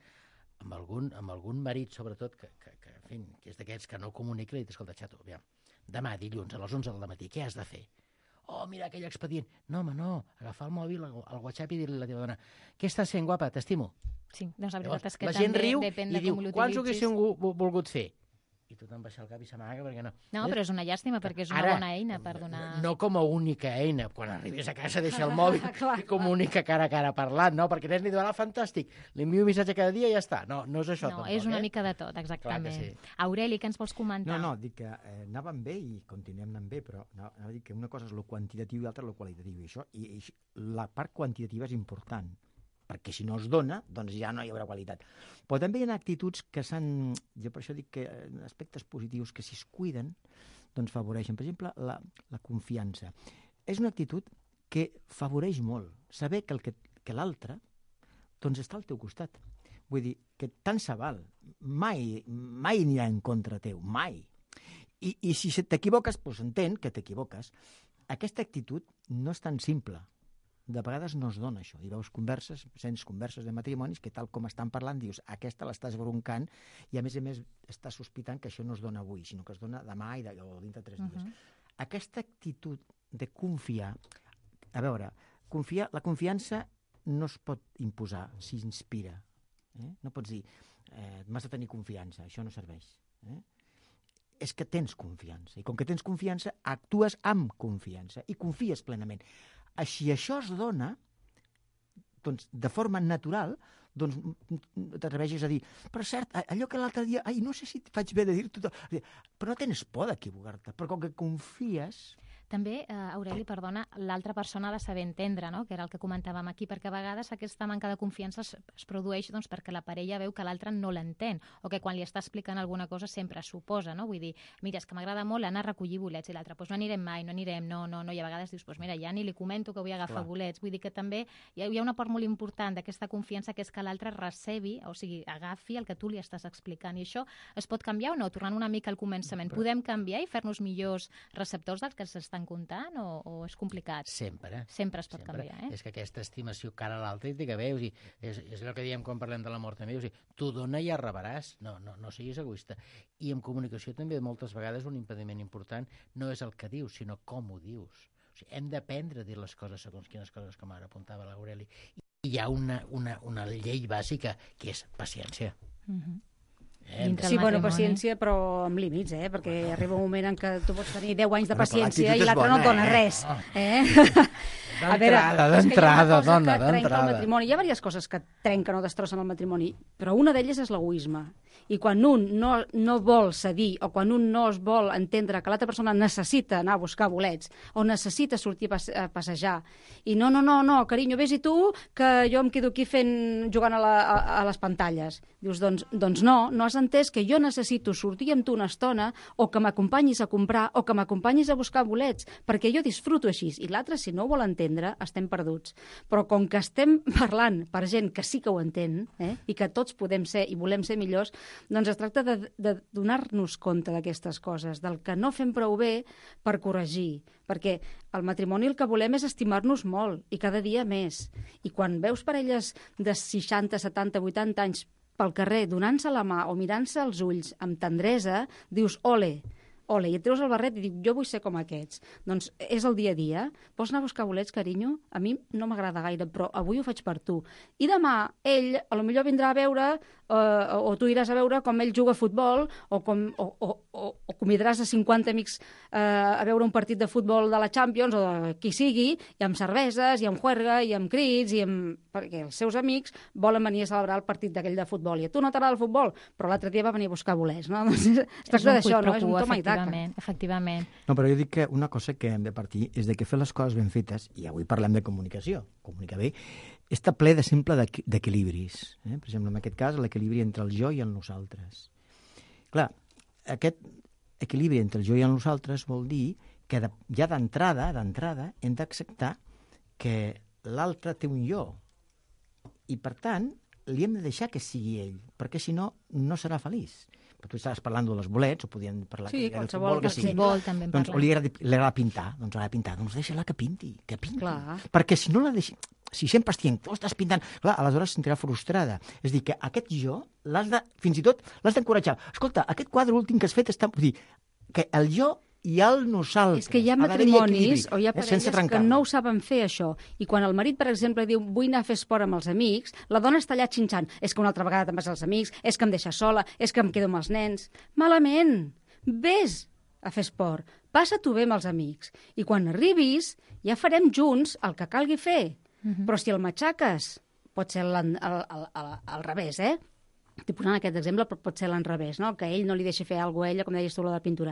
amb algun marit, sobretot, que en fi, que és d'aquests que no comunica, li dic, escolta, xato, aviam, demà, dilluns, a les 11 del matí, què has de fer? Oh, mira aquell expedient. No, home, no, agafar el mòbil, el WhatsApp i dir-li a la teva dona, què estàs fent, guapa, t'estimo? Sí, doncs la veritat és que la gent també riu depèn i de diu, com quants ho l'utilitzis. haguéssiu volgut fer? I tothom baixa el cap i s'amaga perquè no. No, però és una llàstima perquè és una bona eina per donar... No com a única eina. Quan arribis a casa deixa el mòbil i comunica cara a cara parlant, no? Perquè nens li diuen, fantàstic, li envio un missatge cada dia i ja està. No és això No, tampoc, és una mica de tot, exactament. Sí. Aureli, què ens vols comentar? No, dic que anàvem bé i continuem anant bé, però anava a dir que una cosa és lo quantitatiu i l'altra lo qualitatiu. I la part quantitativa és important, perquè si no es dona, doncs ja no hi haurà qualitat. Però també hi ha actituds que jo per això dic que aspectes positius que si es cuiden, doncs favoreixen. Per exemple, la confiança. És una actitud que favoreix molt. Saber que l'altre doncs està al teu costat. Vull dir, que tant se val. Mai anirà en contra teu, mai. I si t'equivoques, doncs entén que t'equivoques. Aquesta actitud no és tan simple. De vegades no es dona això. I veus sents converses de matrimonis que tal com estan parlant dius, aquesta l'estàs broncant i a més estàs sospitant que això no es dona avui, sinó que es dona demà o dintre de 3 dies. Aquesta actitud de confiar, a veure, la confiança no es pot imposar, s'inspira. No pots dir, m'has de tenir confiança, això no serveix. És que tens confiança. I com que tens confiança, actues amb confiança i confies plenament. Si això es dona, doncs, de forma natural, doncs t'atreveixes a dir, però cert, allò que l'altre dia, no sé si faig bé de dir-t'ho, però no tens por d'equivocar-te, però com que confies... També, Aureli, perdona, l'altra persona ha de saber entendre, no? Que era el que comentàvem aquí, perquè a vegades aquesta manca de confiança es produeix doncs, perquè la parella veu que l'altre no l'entén, o que quan li està explicant alguna cosa sempre suposa, no? Vull dir, mira, és que m'agrada molt anar a recollir bolets, i l'altre, doncs no anirem mai, no anirem, no, i a vegades dius, doncs mira, ja ni li comento que vull agafar bolets. Vull dir que també hi ha una part molt important d'aquesta confiança, que és que l'altre recebi, o sigui, agafi el que tu li estàs explicant, i això es pot canviar o no? Tornant una mica al començament, podem canviar i fer-nos millors receptors del que s'està comptant o és complicat? Sempre. Sempre es pot canviar, eh? És que aquesta estimació cara a l'altre i que veus, és el que diem quan parlem de l'amor també, tu dona i ja rebràs, no siguis egoista. I en comunicació també moltes vegades un impediment important no és el que dius, sinó com ho dius. O sigui, hem d'aprendre a dir les coses segons quines coses, com ara apuntava l'Aureli. I hi ha una llei bàsica, que és paciència. Sí, bueno, paciència, però amb límits, perquè arriba un moment en què tu pots tenir 10 anys de paciència i l'altre no et dona res. D'entrada, dona, d'entrada. Hi ha diverses coses que trenquen o destrossen el matrimoni, però una d'elles és l'egoisme. I quan un no vol cedir o quan un no es vol entendre que l'altra persona necessita anar a buscar bolets o necessita sortir a passejar i no, carinyo, vés-hi tu, que jo em quedo aquí jugant a les pantalles. Dius, doncs no has entès que jo necessito sortir amb tu una estona o que m'acompanyis a comprar o que m'acompanyis a buscar bolets, perquè jo disfruto així. I l'altre, si no ho vol entendre, estem perduts. Però com que estem parlant per gent que sí que ho entén i que tots podem ser i volem ser millors, doncs es tracta de donar-nos compte d'aquestes coses, del que no fem prou bé per corregir, perquè al matrimoni el que volem és estimar-nos molt i cada dia més. I quan veus parelles de 60, 70, 80 anys pel carrer donant-se la mà o mirant-se als ulls amb tendresa, dius, ole, i et treus el barret i dius, jo vull ser com aquests. Doncs és el dia a dia. Vols anar a buscar bolets, carinyo? A mi no m'agrada gaire, però avui ho faig per tu. I demà ell, a lo millor vindrà a veure, o tu iràs a veure com ell juga a futbol, o convidaràs a 50 amics a veure un partit de futbol de la Champions, o de qui sigui, i amb cerveses, i amb juerga, i amb crits, perquè els seus amics volen venir a celebrar el partit d'aquell de futbol. I a tu no t'agrada el futbol, però l'altre dia va venir a buscar bolets, no? Es tracta d'això, no? És un toma i taca. Efectivament. No, però jo dic que una cosa que hem de partir és de que fer les coses ben fetes, i avui parlem de comunicació, comunicar bé, està ple de simple d'equilibris. Per exemple, en aquest cas, l'equilibri entre el jo i el nosaltres. Clar, aquest equilibri entre el jo i el nosaltres vol dir que ja d'entrada hem d'acceptar que l'altre té un jo. I, per tant, li hem de deixar que sigui ell, perquè si no, no serà feliç. Però tu estaves parlant dels bolets, o podien parlar sí, de qualsevol que sigui. Futbol, també doncs, o li agrada pintar, doncs deixa-la que pinti. Clar. Perquè si no la deixi... Si sempre estic, tu estàs pintant... Clar, aleshores sentirà frustrada. És a dir, que aquest jo, fins i tot, l'has d'encoratjar. Escolta, aquest quadre últim que has fet està... Vull dir, que el jo i el nosaltres... És que hi ha matrimonis o hi ha parelles que no ho saben fer, això. I quan el marit, per exemple, diu vull anar a fer esport amb els amics, la dona està allà xinxant. És que una altra vegada te'n vas als amics, és que em deixes sola, és que em quedo amb els nens. Malament! Vés a fer esport. Passa-t'ho bé amb els amics. I quan arribis, ja farem junts el que calgui fer. Però si el matxaques, pot ser al revés, Estic posant aquest exemple, però pot ser l'enrevés, no? Que ell no li deixi fer alguna cosa a ella, com deies tu, la de pintura.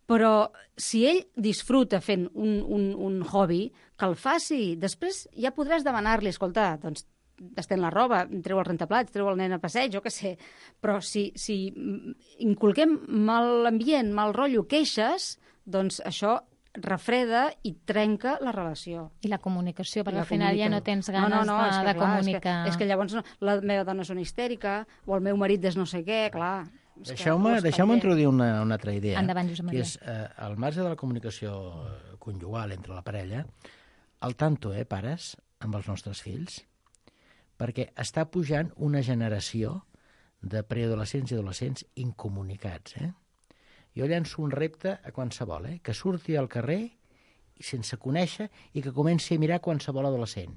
Però si ell disfruta fent un hobby, que el faci. Després ja podràs demanar-li, escolta, doncs estén la roba, treu el rentaplats, treu el nen a passeig, jo què sé. Però si inculquem mal ambient, mal rotllo, queixes, doncs això refreda i trenca la relació. I la comunicació, perquè al final ja no tens ganes de comunicar. És que llavors la meva dona és una histèrica, o el meu marit és no sé què, clar. Deixeu-me introduir una altra idea. Endavant, Josep Maria. Que és, al marge de la comunicació conjugal entre la parella, al tanto, pares, amb els nostres fills, perquè està pujant una generació de preadolescents i adolescents incomunicats, Jo llanço un repte a qualsevol, que surti al carrer sense conèixer i que comenci a mirar qualsevol adolescent.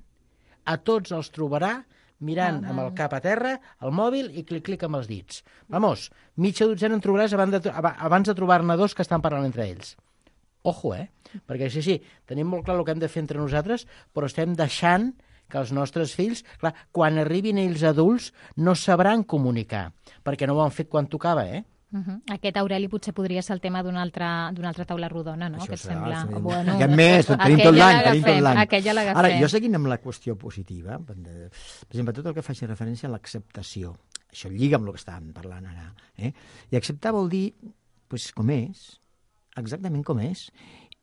A tots els trobarà mirant amb el cap a terra, el mòbil i clic-clic amb els dits. Vamos, mitja dotzena en trobaràs abans de trobar-ne dos que estan parlant entre ells. Ojo, perquè sí, tenim molt clar el que hem de fer entre nosaltres, però estem deixant que els nostres fills, clar, quan arribin ells adults, no sabran comunicar, perquè no ho han fet quan tocava, Aquest, Aureli, potser podria ser el tema d'una altra taula rodona, no? Això que et sembla? Bueno, més, tenim tot l'any. Aquella l'agafem. Ara, jo seguint amb la qüestió positiva, per exemple, tot el que faci referència a l'acceptació, això lliga amb el que estàvem parlant ara, i acceptar vol dir, com és, exactament com és,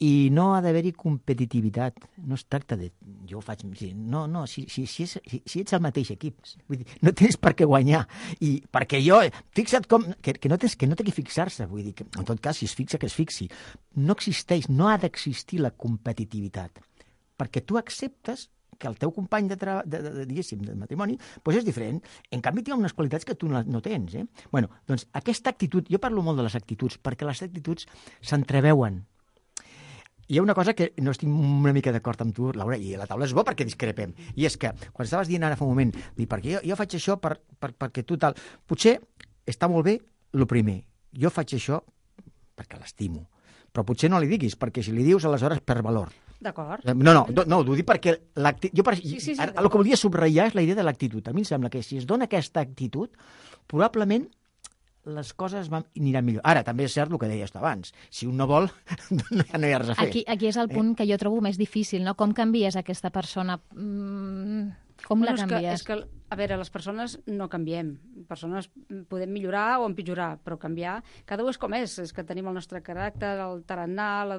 i no ha d'haver-hi competitivitat. No es tracta de... Jo ho faig... No, si ets el mateix equip, vull dir, no tens per què guanyar. I perquè jo... Fixa't com... Que no té que fixar-se, vull dir, que en tot cas, si es fixa, que es fixi. No existeix, no ha d'existir la competitivitat. Perquè tu acceptes que el teu company diguéssim, de matrimoni, és diferent. En canvi, té unes qualitats que tu no tens. Bueno, doncs aquesta actitud... Jo parlo molt de les actituds, perquè les actituds s'entreveuen. Hi ha una cosa que no estic una mica d'acord amb tu, Laura, i la taula és bo perquè discrepem, i és que, quan estaves dient ara fa un moment, perquè jo faig això perquè tu tal... Potser està molt bé el primer. Jo faig això perquè l'estimo. Però potser no li diguis, perquè si li dius, aleshores per valor. D'acord. No, ho dic perquè el que volia subratllar és la idea de l'actitud. A mi em sembla que si es dona aquesta actitud, probablement les coses aniran millor. Ara, també és cert el que deies tu abans. Si un no vol, no hi ha res a fer. Aquí és el punt que jo trobo més difícil, no? Com canvies aquesta persona? Com la canvies? És que, a veure, les persones no canviem. Persones podem millorar o empitjorar, però canviar... Cada un és com és que tenim el nostre caràcter, el tarannà,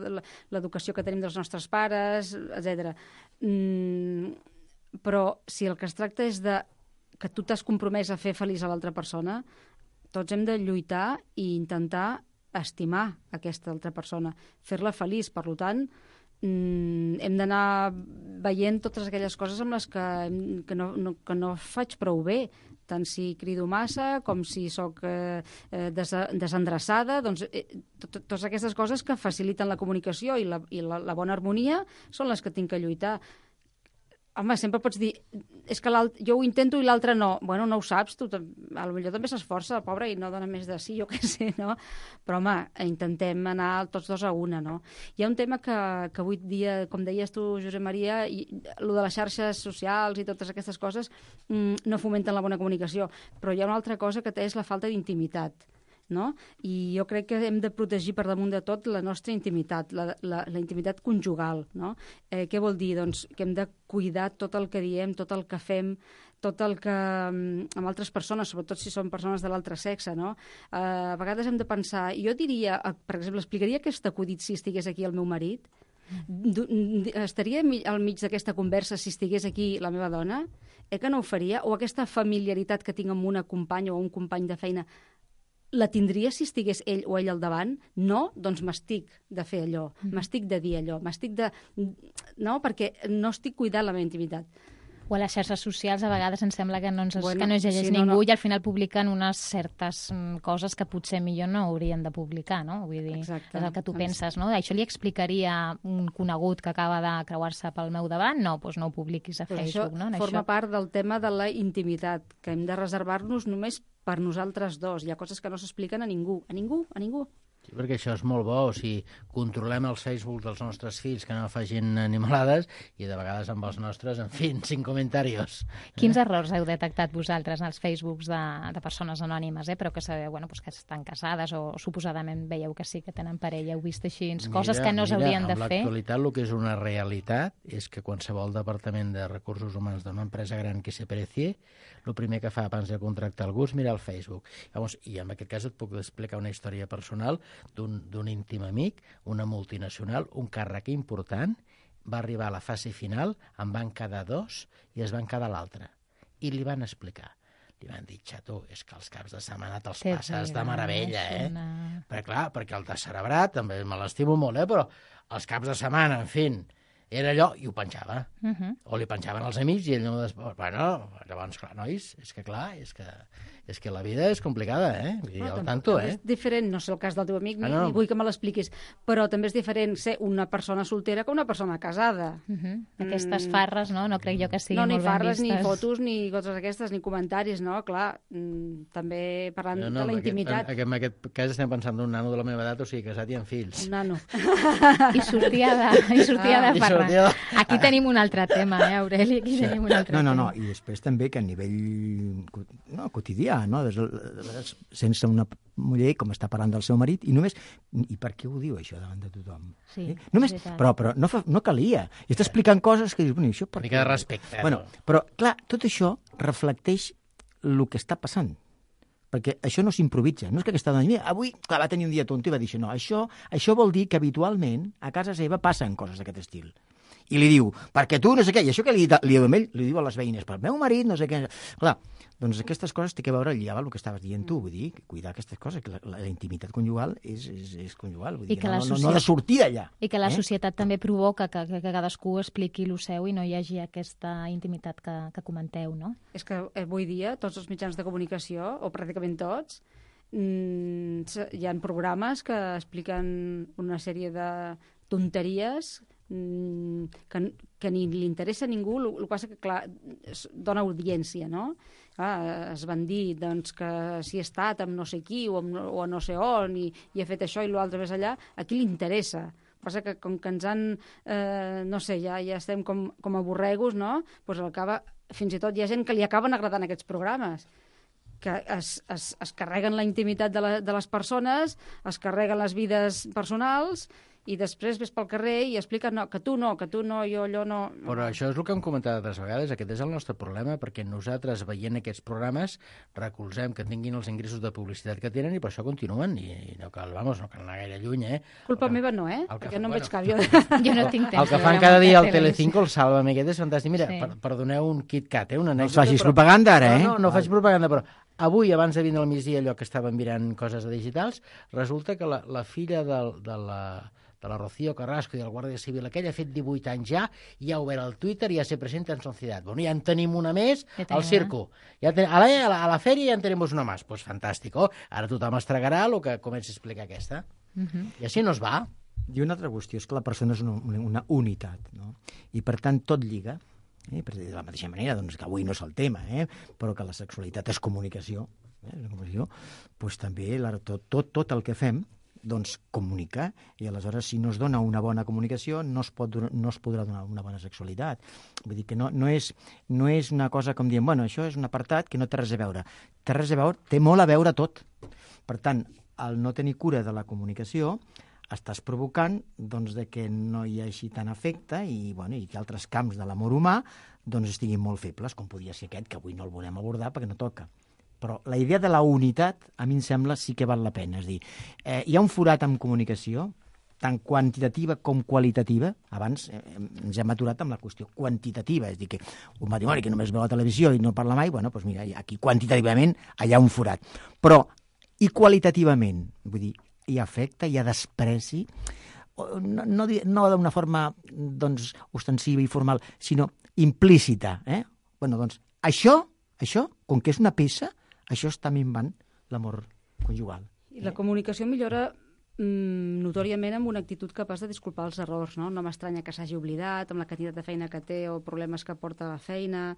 l'educació que tenim dels nostres pares, etc. Però si el que es tracta és de que tu t'has compromès a fer feliç a l'altra persona, tots hem de lluitar i intentar estimar aquesta altra persona, fer-la feliç. Per tant, hem d'anar veient totes aquelles coses amb les que no faig prou bé, tant si crido massa com si sóc desendreçada. Doncs, totes aquestes coses que faciliten la comunicació i la bona harmonia són les que tinc que lluitar. Home, sempre pots dir, és que jo ho intento i l'altre no. Bueno, no ho saps, tu potser també s'esforça, pobre, i no dona més de sí, jo què sé, no? Però, home, intentem anar tots dos a una, no? Hi ha un tema que avui dia, com deies tu, Josep Maria, el de les xarxes socials i totes aquestes coses no fomenten la bona comunicació, però hi ha una altra cosa que és la falta d'intimitat. no? I jo crec que hem de protegir per damunt de tot la nostra intimitat, la intimitat conjugal, no? Què vol dir? Doncs que hem de cuidar tot el que diem, tot el que fem, tot el que amb altres persones, sobretot si són persones de l'altre sexe, no? A vegades hem de pensar, jo diria, per exemple, explicaria aquest acudit si estigués aquí el meu marit? Estaria al mig d'aquesta conversa si estigués aquí la meva dona? Que no ho faria? O aquesta familiaritat que tinc amb una companya o un company de feina, la tindria si estigués ell o ell al davant? No? Doncs m'estic de fer allò, m'estic de dir allò, m'estic de... No, perquè no estic cuidant la meva intimitat. O a les xarxes socials a vegades ens sembla que no llegeix ningú i al final publiquen unes certes coses que potser millor no haurien de publicar, no? Vull dir, exacte. És el que tu penses, no? Això li explicaria un conegut que acaba de creuar-se pel meu davant? No, doncs no ho publiquis a Facebook, no? Això forma part del tema de la intimitat, que hem de reservar-nos només per nosaltres dos. Hi ha coses que no s'expliquen a ningú, a ningú, a ningú. Sí, perquè això és molt bo, o sigui, controlem els Facebook dels nostres fills que no facin animalades i de vegades amb els nostres, en fi, sin comentarios. Quins errors heu detectat vosaltres en els Facebooks de persones anònimes, però que sabeu que estan casades o suposadament veieu que sí que tenen parella, heu vist així, coses que no s'haurien de fer? En l'actualitat el que és una realitat és que qualsevol departament de recursos humans d'una empresa gran que se precie, el primer que fa abans de contractar algú és mirar el Facebook. Llavors, i en aquest cas et puc explicar una història personal d'un íntim amic, una multinacional, un càrrec important, va arribar a la fase final, en van quedar 2 i es van quedar l'altre. I li van explicar. Li van dir, xato, és que els caps de setmana te'ls passes de meravella, Perquè, clar, perquè el descerebrat, també me l'estimo molt, però els caps de setmana, en fi, era allò, i ho penjava. O li penjaven els amics i ell no... Bueno, llavors, clar, nois, és que la vida és complicada, Vull dir, al tanto, És diferent, no sé el cas del teu amic, ni vull que me l'expliquis, però també és diferent ser una persona soltera que una persona casada. Aquestes farres, no crec jo que siguin molt ben vistes. No, ni farres, ni fotos, ni coses aquestes, ni comentaris, no? Clar, també parlant de la intimitat. En aquest cas estem pensant d'un nano de la meva edat, o sigui, casat i amb fills. Un nano. I sortia de farra. Aquí tenim un altre tema, Aureli? Aquí tenim un altre tema. No, i després també que a nivell quotidià, sense una muller com està parlant del seu marit, i només... I per què ho diu, això, davant de tothom? Sí, només, però no calia. I està explicant coses que dius, bueno, això per què? Una mica de respecte. Bueno, però, clar, tot això reflecteix el que està passant. Perquè això no s'improvisa. No és que aquesta dona, mira, avui va tenir un dia tonto i va dir això. No, això vol dir que habitualment a casa seva passen coses d'aquest estil. I li diu, perquè tu no sé què, i això que li diu a ell, li diu a les veïnes, pel meu marit, no sé què... Clar, doncs aquestes coses té que veure allà el que estaves dient tu, vull dir, cuidar aquestes coses, que la intimitat conjugal és conjugal, vull dir, no ha de sortir d'allà. I que la societat també provoca que cadascú expliqui el seu i no hi hagi aquesta intimitat que comenteu, no? És que avui dia tots els mitjans de comunicació, o pràcticament tots, hi ha programes que expliquen una sèrie de tonteries que ni li interessa a ningú, el que passa que, clar, dona audiència, no? Es van dir doncs, que si ha estat amb no sé qui o a no sé on i ha fet això i l'altre més allà, a qui li interessa? El que passa que com que ens han, no sé, ja estem com a borregos, no? Pues fins i tot hi ha gent que li acaben agradant aquests programes, que es carreguen la intimitat de les persones, es carreguen les vides personals i després ves pel carrer i expliquen que tu no, jo allò no... Però això és el que hem comentat altres vegades, aquest és el nostre problema, perquè nosaltres, veient aquests programes, recolzem que tinguin els ingressos de publicitat que tenen i per això continuen, i no cal anar gaire lluny, Culpa meva no, perquè no em veig cap. Jo no tinc temps. El que fan cada dia al Telecinco, el Sálvame, aquest és fantàstic. Mira, perdoneu un KitKat, una anècdota... No facis propaganda ara, No faig propaganda, però avui, abans de vindre al migdia, allò que estàvem mirant coses de digitals, resulta que la filla de la Rocío Carrasco i del Guàrdia Civil aquell ha fet 18 anys ja, i ha obert el Twitter i ja se presenta en Societat. Bueno, ja en tenim una més al circo. A la fèria ja en tenim una més. Pues fantàstico. Ara tothom es tragarà el que comença a explicar aquesta. I així no es va. I una altra qüestió és que la persona és una unitat, no? I per tant tot lliga. De la mateixa manera, doncs, que avui no és el tema, però que la sexualitat és comunicació, doncs també tot el que fem doncs comunicar, i aleshores si no es dona una bona comunicació no es podrà donar una bona sexualitat. Vull dir que no és una cosa com dient, bueno, això és un apartat que no té res a veure. Té molt a veure tot. Per tant, al no tenir cura de la comunicació, estàs provocant doncs, de que no hi hagi tant efecte i que altres camps de l'amor humà doncs, estiguin molt febles, com podria ser aquest, que avui no el volem abordar perquè no toca. Però la idea de la unitat, a mi em sembla, sí que val la pena. És dir, hi ha un forat en comunicació, tant quantitativa com qualitativa. Abans ens hem aturat amb la qüestió quantitativa, és dir, que un matrimoni que només veu la televisió i no parla mai, doncs mira, aquí quantitativament hi ha un forat. Però, i qualitativament, vull dir, hi ha afecte, hi ha despreci, no d'una forma doncs, ostensiva i formal, sinó implícita. Doncs això, com que és una peça, això està minvant l'amor conjugal. I la comunicació millora notòriament amb una actitud capaç de disculpar els errors, no? No m'estranya que s'hagi oblidat, amb la quantitat de feina que té o problemes que porta a la feina,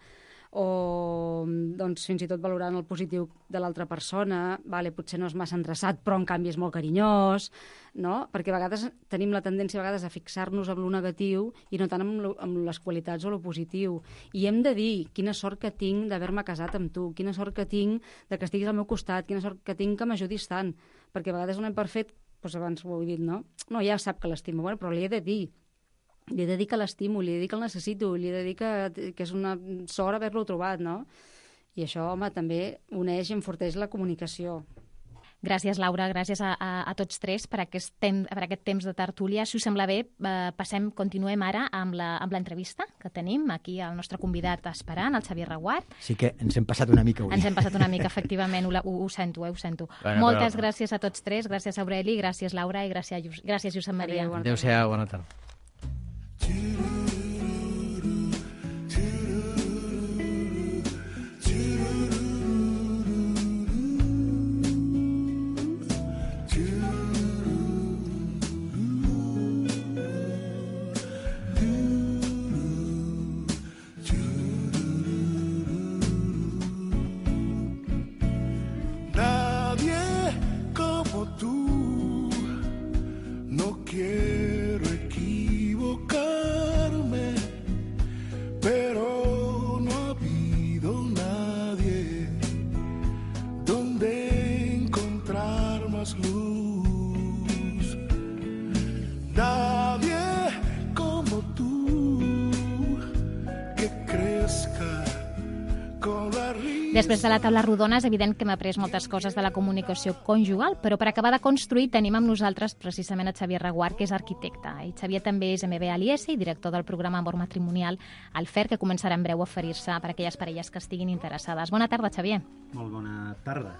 o doncs, fins i tot valorant el positiu de l'altra persona, potser no és massa endreçat, però en canvi és molt carinyós, no? Perquè a vegades tenim la tendència a fixar-nos en lo negatiu i no tant en les qualitats o lo positiu. I hem de dir quina sort que tinc d'haver-me casat amb tu, quina sort que tinc de que estiguis al meu costat, quina sort que tinc que m'ajudis tant, perquè a vegades donem per fet, doncs abans ho he dit, no? No, ja sap que l'estimo, però li he de dir. Li he de dir que l'estimo, li he de dir que el necessito, li he de dir que és una sort haver-lo trobat, no? I això, home, també uneix i enforteix la comunicació. Gràcies, Laura, gràcies a tots tres per aquest temps de tertúlia. Si us sembla bé, continuem ara amb l'entrevista que tenim aquí el nostre convidat esperant, el Xavier Reguart. Sí que ens hem passat una mica avui. Ens hem passat una mica, efectivament, ho sento, ho sento. Moltes gràcies a tots tres, gràcies Aureli, gràcies Laura i gràcies Josep Maria. Adéu-siau, bona tarda. Després de la taula rodona és evident que hem après moltes coses de la comunicació conjugal, però per acabar de construir tenim amb nosaltres precisament a Xavier Reguart, que és arquitecte. I Xavier també és MBA a l'IES i director del programa Amor Matrimonial al FER, que començarà en breu a oferir-se per a aquelles parelles que estiguin interessades. Bona tarda, Xavier. Molt bona tarda.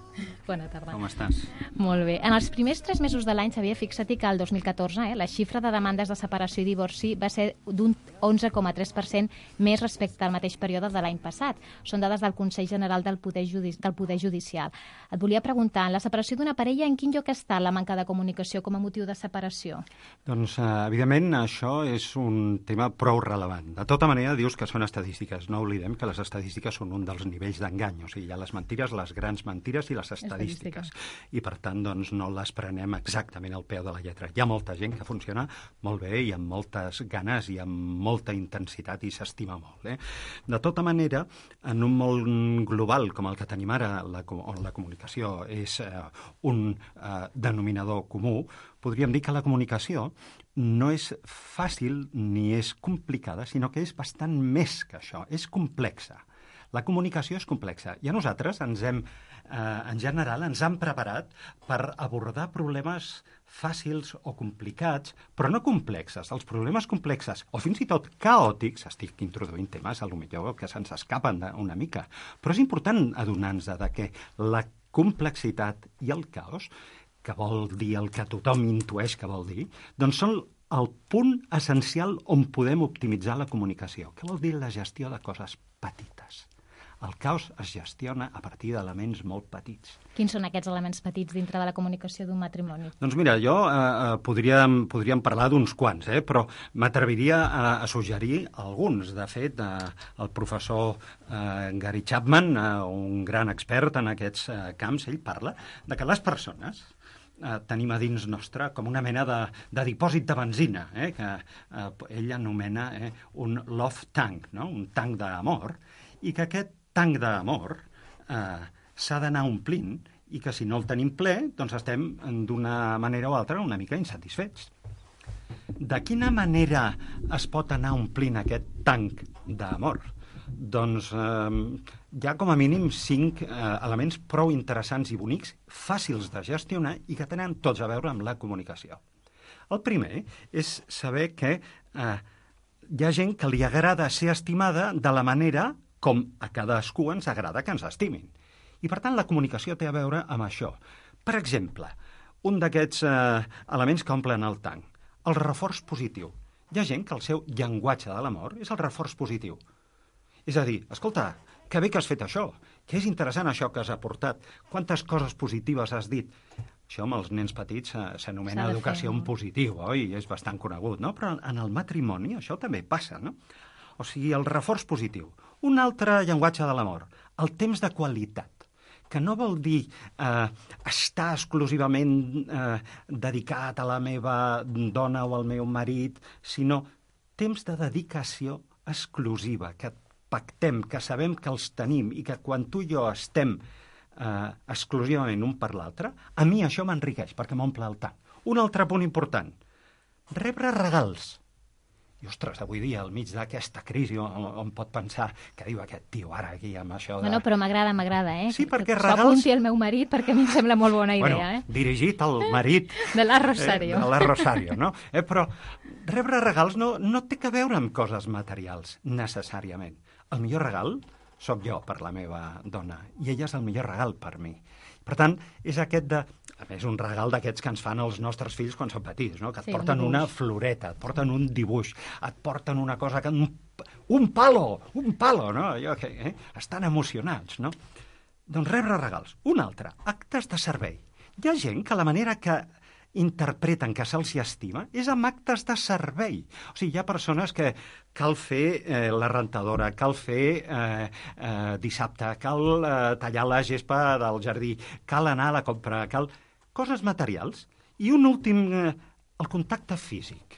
Bona tarda. Com estàs? Molt bé. En els primers 3 mesos de l'any, Xavier, fixa't que el 2014 la xifra de demandes de separació i divorci va ser d'un 11,3% més respecte al mateix període de l'any passat. Són dades del Consell General del Poder Judicial. Et volia preguntar, en la separació d'una parella, en quin lloc està la manca de comunicació com a motiu de separació? Doncs, evidentment, això és un tema prou relevant. De tota manera, dius que són estadístiques. No oblidem que les estadístiques són un dels nivells d'engany. O sigui, hi ha les mentires, les grans mentires i les estadístiques. I, per tant, doncs, no les prenem exactament al peu de la lletra. Hi ha molta gent que funciona molt bé i amb moltes ganes i amb molta intensitat i s'estima molt. De tota manera, en un món global com el que tenim ara, on la comunicació és un denominador comú, podríem dir que la comunicació no és fàcil ni és complicada, sinó que és bastant més que això, és complexa. La comunicació és complexa i a nosaltres en general ens han preparat per abordar problemes fàcils o complicats, però no complexes. Els problemes complexes, o fins i tot caòtics, estic introduint temes potser que se'ns escapen una mica, però és important adonar-nos que la complexitat i el caos, que vol dir el que tothom intueix que vol dir, doncs són el punt essencial on podem optimitzar la comunicació. Què vol dir la gestió de coses petites? El caos es gestiona a partir d'elements molt petits. Quins són aquests elements petits dintre de la comunicació d'un matrimoni? Doncs mira, jo podríem parlar d'uns quants, però m'atreviria a suggerir alguns. De fet, el professor Gary Chapman, un gran expert en aquests camps, ell parla de que les persones tenim a dins nostre com una mena de dipòsit de benzina, que ell anomena un love tank, no? Un tanc d'amor, i que aquest tanc d'amor s'ha d'anar omplint i que si no el tenim ple, doncs estem d'una manera o altra una mica insatisfets. De quina manera es pot anar omplint aquest tanc d'amor? Doncs hi ha com a mínim 5 elements prou interessants i bonics, fàcils de gestionar i que tenen tots a veure amb la comunicació. El primer és saber que hi ha gent que li agrada ser estimada de la manera com a cadascú ens agrada que ens estimin. I, per tant, la comunicació té a veure amb això. Per exemple, un d'aquests elements que omplen el tanc, el reforç positiu. Hi ha gent que el seu llenguatge de l'amor és el reforç positiu. És a dir, escolta, que bé que has fet això, que és interessant això que has aportat, quantes coses positives has dit. Això amb els nens petits s'anomena educació en positiu, oi? És bastant conegut, no? Però en el matrimoni això també passa, no? O sigui, el reforç positiu. Un altre llenguatge de l'amor, el temps de qualitat, que no vol dir estar exclusivament dedicat a la meva dona o al meu marit, sinó temps de dedicació exclusiva, que pactem, que sabem que els tenim i que quan tu i jo estem exclusivament un per l'altre, a mi això m'enriqueix perquè m'omple el tant. Un altre punt important, rebre regals. I, ostres, avui dia, al mig d'aquesta crisi, on pot pensar que diu aquest tio ara aquí amb això de... Bueno, però m'agrada, eh? Sí, perquè regals... S'ho apunti el meu marit perquè a mi em sembla molt bona idea, eh? Dirigit al marit... de la Rosario. De la Rosario, no? Però rebre regals no té que veure amb coses materials, necessàriament. El millor regal sóc jo per la meva dona, i ella és el millor regal per mi. Per tant, és aquest de... A més, un regal d'aquests que ens fan els nostres fills quan són petits, no? Que et porten una floreta, et porten un dibuix, et porten una cosa que... Un palo, no? Allò que estan emocionats, no? Doncs rebre regals. Un altre, actes de servei. Hi ha gent que la manera que interpreten que se'ls estima és amb actes de servei. O sigui, hi ha persones que cal fer la rentadora, cal fer dissabte, cal tallar la gespa del jardí, cal anar a la compra, cal... Coses materials. I un últim, el contacte físic.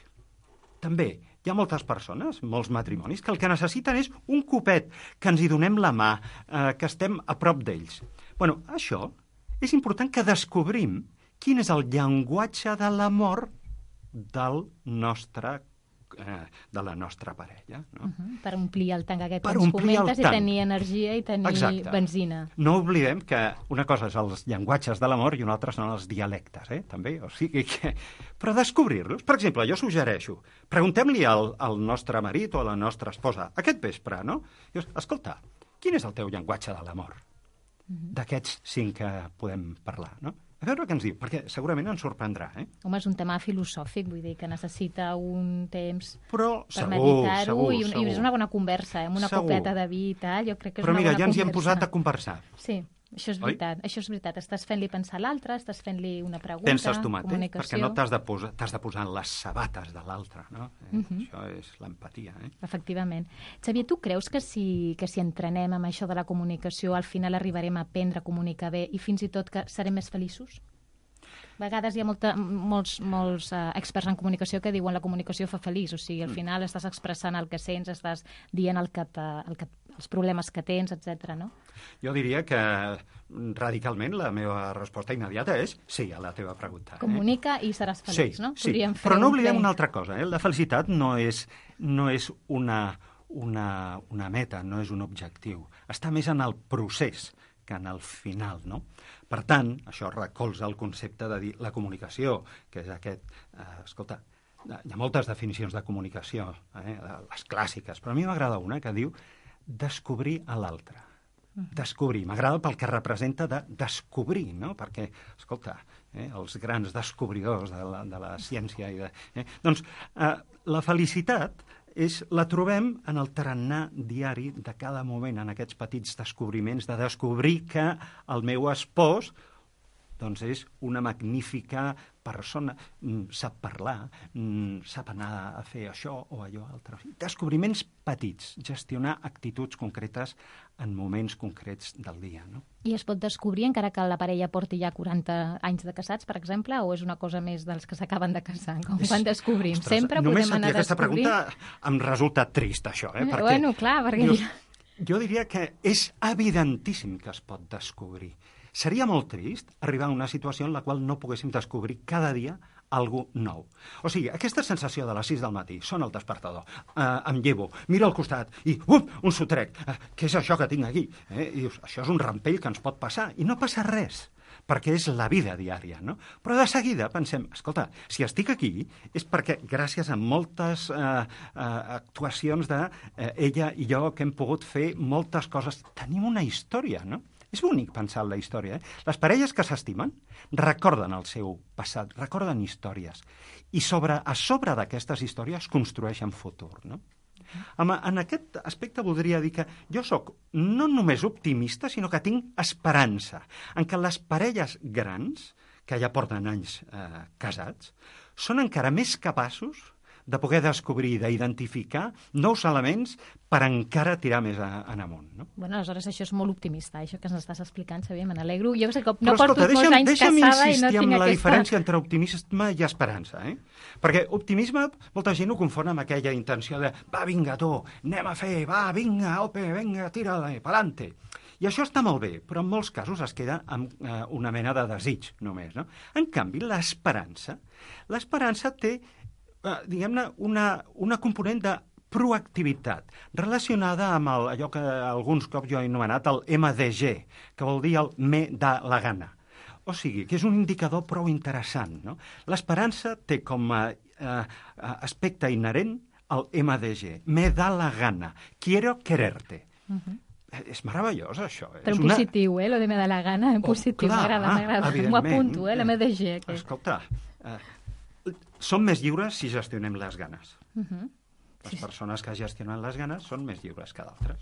També hi ha moltes persones, molts matrimonis, que el que necessiten és un copet, que ens hi donem la mà, que estem a prop d'ells. Bueno, això és important que descobrim quin és el llenguatge de l'amor de la nostra parella. No? Per omplir el tanc aquest que ens comentes i tenir energia i tenir benzina. No oblidem que una cosa és els llenguatges de l'amor i una altra són els dialectes, també. O sigui que... Però descobrir-los. Per exemple, jo suggereixo, preguntem-li al nostre marit o a la nostra esposa aquest vespre, no? Dius, escolta, quin és el teu llenguatge de l'amor? D'aquests 5 que podem parlar, no? A veure què ens diu, perquè segurament ens sorprendrà, Home, és un tema filosòfic, vull dir, que necessita un temps per meditar-ho i és una bona conversa, amb una copeta de vi i tal, jo crec que és una bona conversa. Però mira, ja ens hi hem posat a conversar. Sí, això és veritat, Estàs fent-li pensar a l'altre, estàs fent-li una pregunta, penses tu mateix, comunicació... perquè no t'has de posar en les sabates de l'altre, no? Això és l'empatia, Efectivament. Xavier, tu creus que si entrenem amb això de la comunicació, al final arribarem a aprendre a comunicar bé i fins i tot que serem més feliços? A vegades hi ha molts experts en comunicació que diuen la comunicació fa feliç, o sigui, al final estàs expressant el que sents, estàs dient els problemes que tens, etc. no? Jo diria que radicalment la meva resposta immediata és sí a la teva pregunta. Comunica i seràs feliç, no? Sí, però no oblidem una altra cosa. La felicitat no és una meta, no és un objectiu. Està més en el procés que en el final, no? Per tant, això recolza el concepte de dir la comunicació, que és aquest... escolta, hi ha moltes definicions de comunicació, les clàssiques, però a mi m'agrada una que diu descobrir a l'altre. Descobrir. M'agrada pel que representa de descobrir, no? Perquè, escolta, els grans descobridors de la ciència i de... Doncs la felicitat la trobem en el tarannà diari de cada moment, en aquests petits descobriments, de descobrir que el meu espòs doncs és una magnífica persona, sap parlar, sap anar a fer això o allò altre. Descobriments petits, gestionar actituds concretes en moments concrets del dia, no? I es pot descobrir encara que la parella porti ja 40 anys de casats, per exemple, o és una cosa més dels que s'acaben de casar? Com quan descobrim? Ostres, sempre podem anar només sentir descobrint... aquesta pregunta em resulta trist, això, perquè... Bueno, clar, perquè... Jo diria que és evidentíssim que es pot descobrir. Seria molt trist arribar a una situació en la qual no poguéssim descobrir cada dia algú nou. O sigui, aquesta sensació de les 6 del matí, sona el despertador, em llevo, miro al costat i, un sotrec, què és això que tinc aquí? I dius, això és un rampell que ens pot passar, i no passa res, perquè és la vida diària, no? Però de seguida pensem, escolta, si estic aquí és perquè gràcies a moltes actuacions d'ella i jo que hem pogut fer moltes coses, tenim una història, no? És bonic pensar en la història, Les parelles que s'estimen recorden el seu passat, recorden històries, i a sobre d'aquestes històries construeixen futur, no? En aquest aspecte voldria dir que jo sóc no només optimista, sinó que tinc esperança en que les parelles grans, que ja porten anys casats, són encara més capaços de poder descobrir i d'identificar nous elements per encara tirar més en amunt. No? Bueno, aleshores això és molt optimista, això que ens estàs explicant, Xavier, me n'alegro. Jo sé que no porto molts anys casada i no tinc aquesta... Deixa'm insistir en la diferència entre optimisme i esperança, Perquè optimisme, molta gent ho confon amb aquella intenció de va, vinga, tu, anem a fer, va, vinga, ope, vinga, tira-la, pa'lante. I això està molt bé, però en molts casos es queda amb una mena de desig, només, no? En canvi, l'esperança té diguem-ne, una component de proactivitat relacionada amb allò que alguns cops jo he anomenat el MDG, que vol dir el me da la gana. O sigui, que és un indicador prou interessant, no? L'esperança té com a aspecte inherent el MDG, me da la gana, quiero quererte. És meravellós, això. Però en positiu, lo de me da la gana, en positiu, m'agrada. M'ho apunto, l'MDG. Escolta, som més lliures si gestionem les ganes. Les persones que gestionen les ganes són més lliures que d'altres.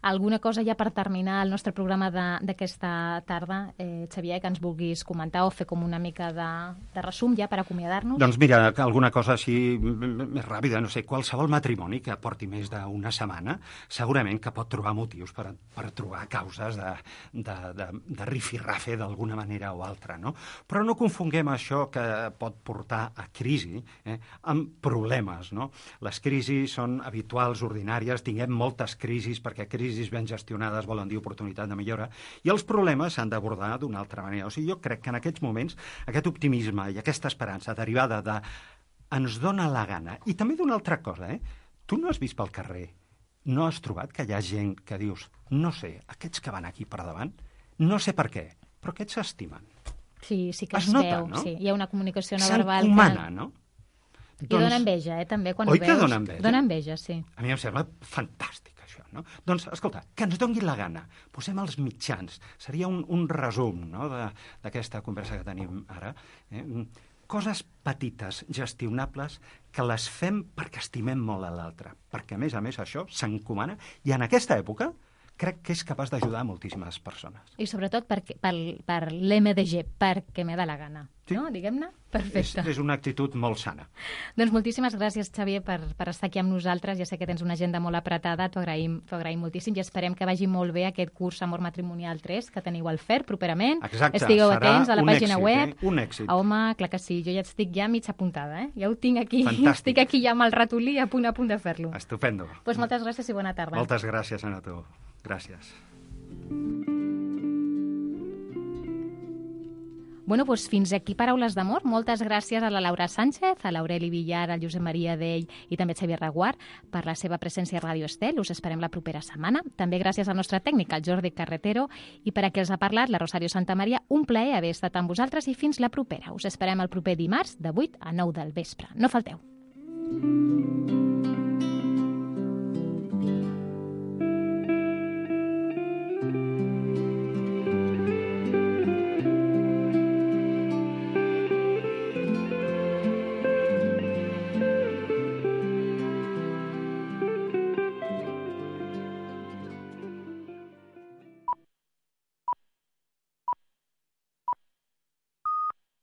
Alguna cosa ja per terminar el nostre programa d'aquesta tarda, Xavier, que ens vulguis comentar o fer com una mica de resum ja per acomiadar-nos? Doncs mira, alguna cosa així més ràpida, no sé, qualsevol matrimoni que porti més d'una setmana segurament que pot trobar motius per trobar causes de rifirrafe d'alguna manera o altra, no? Però no confonguem això que pot portar a crisi amb problemes, no? Les crisis són habituals, ordinàries, tinguem moltes crisis perquè crisis ben gestionades volen dir oportunitat de millora, i els problemes s'han d'abordar d'una altra manera. O sigui, jo crec que en aquests moments aquest optimisme i aquesta esperança derivada de ens dona la gana, i també d'una altra cosa, tu no has vist pel carrer, no has trobat que hi ha gent que dius, no sé, aquests que van aquí per davant, no sé per què, però aquests s'estimen. Sí, sí que es veu, no? Sí, hi ha una comunicació no verbal. S'encomana, no? I dona enveja, també, quan ho veus. Oi que dona enveja? Dona enveja, sí. A mi em sembla fantàstic, això, no? Doncs, escolta, que ens doni la gana. Posem els mitjans. Seria un resum, no?, d'aquesta conversa que tenim ara. Coses petites, gestionables, que les fem perquè estimem molt a l'altre. Perquè, a més, això s'encomana. I en aquesta època crec que és capaç d'ajudar moltíssimes persones. I sobretot per l'MDG, perquè me da la gana. Sí. No? Diguem-ne? Perfecte. És una actitud molt sana. Doncs moltíssimes gràcies, Xavier, per estar aquí amb nosaltres. Ja sé que tens una agenda molt apretada, t'ho agraïm moltíssim i esperem que vagi molt bé aquest curs Amor Matrimonial 3 que teniu al FER properament. Exacte, estigueu atents a la pàgina web. Un èxit. Home, clar que sí, jo ja estic mig apuntada, Ja ho tinc aquí. Fantàstic. Estic aquí ja amb el ratolí a punt de fer-lo. Estupendo. Doncs moltes gràcies i bona tarda. Moltes gràcies a tu. Gràcies. Bueno, doncs fins aquí Paraules d'Amor. Moltes gràcies a la Laura Sánchez, a l'Aureli Villar, al Josep Maria Dell i també a Xavier Reguart per la seva presència a Ràdio Estel. Us esperem la propera setmana. També gràcies al nostre tècnic, al Jordi Carretero, i per a qui els ha parlat, la Rosario Santamaria. Un plaer haver estat amb vosaltres i fins la propera. Us esperem el proper dimarts de 8 a 9 del vespre. No falteu.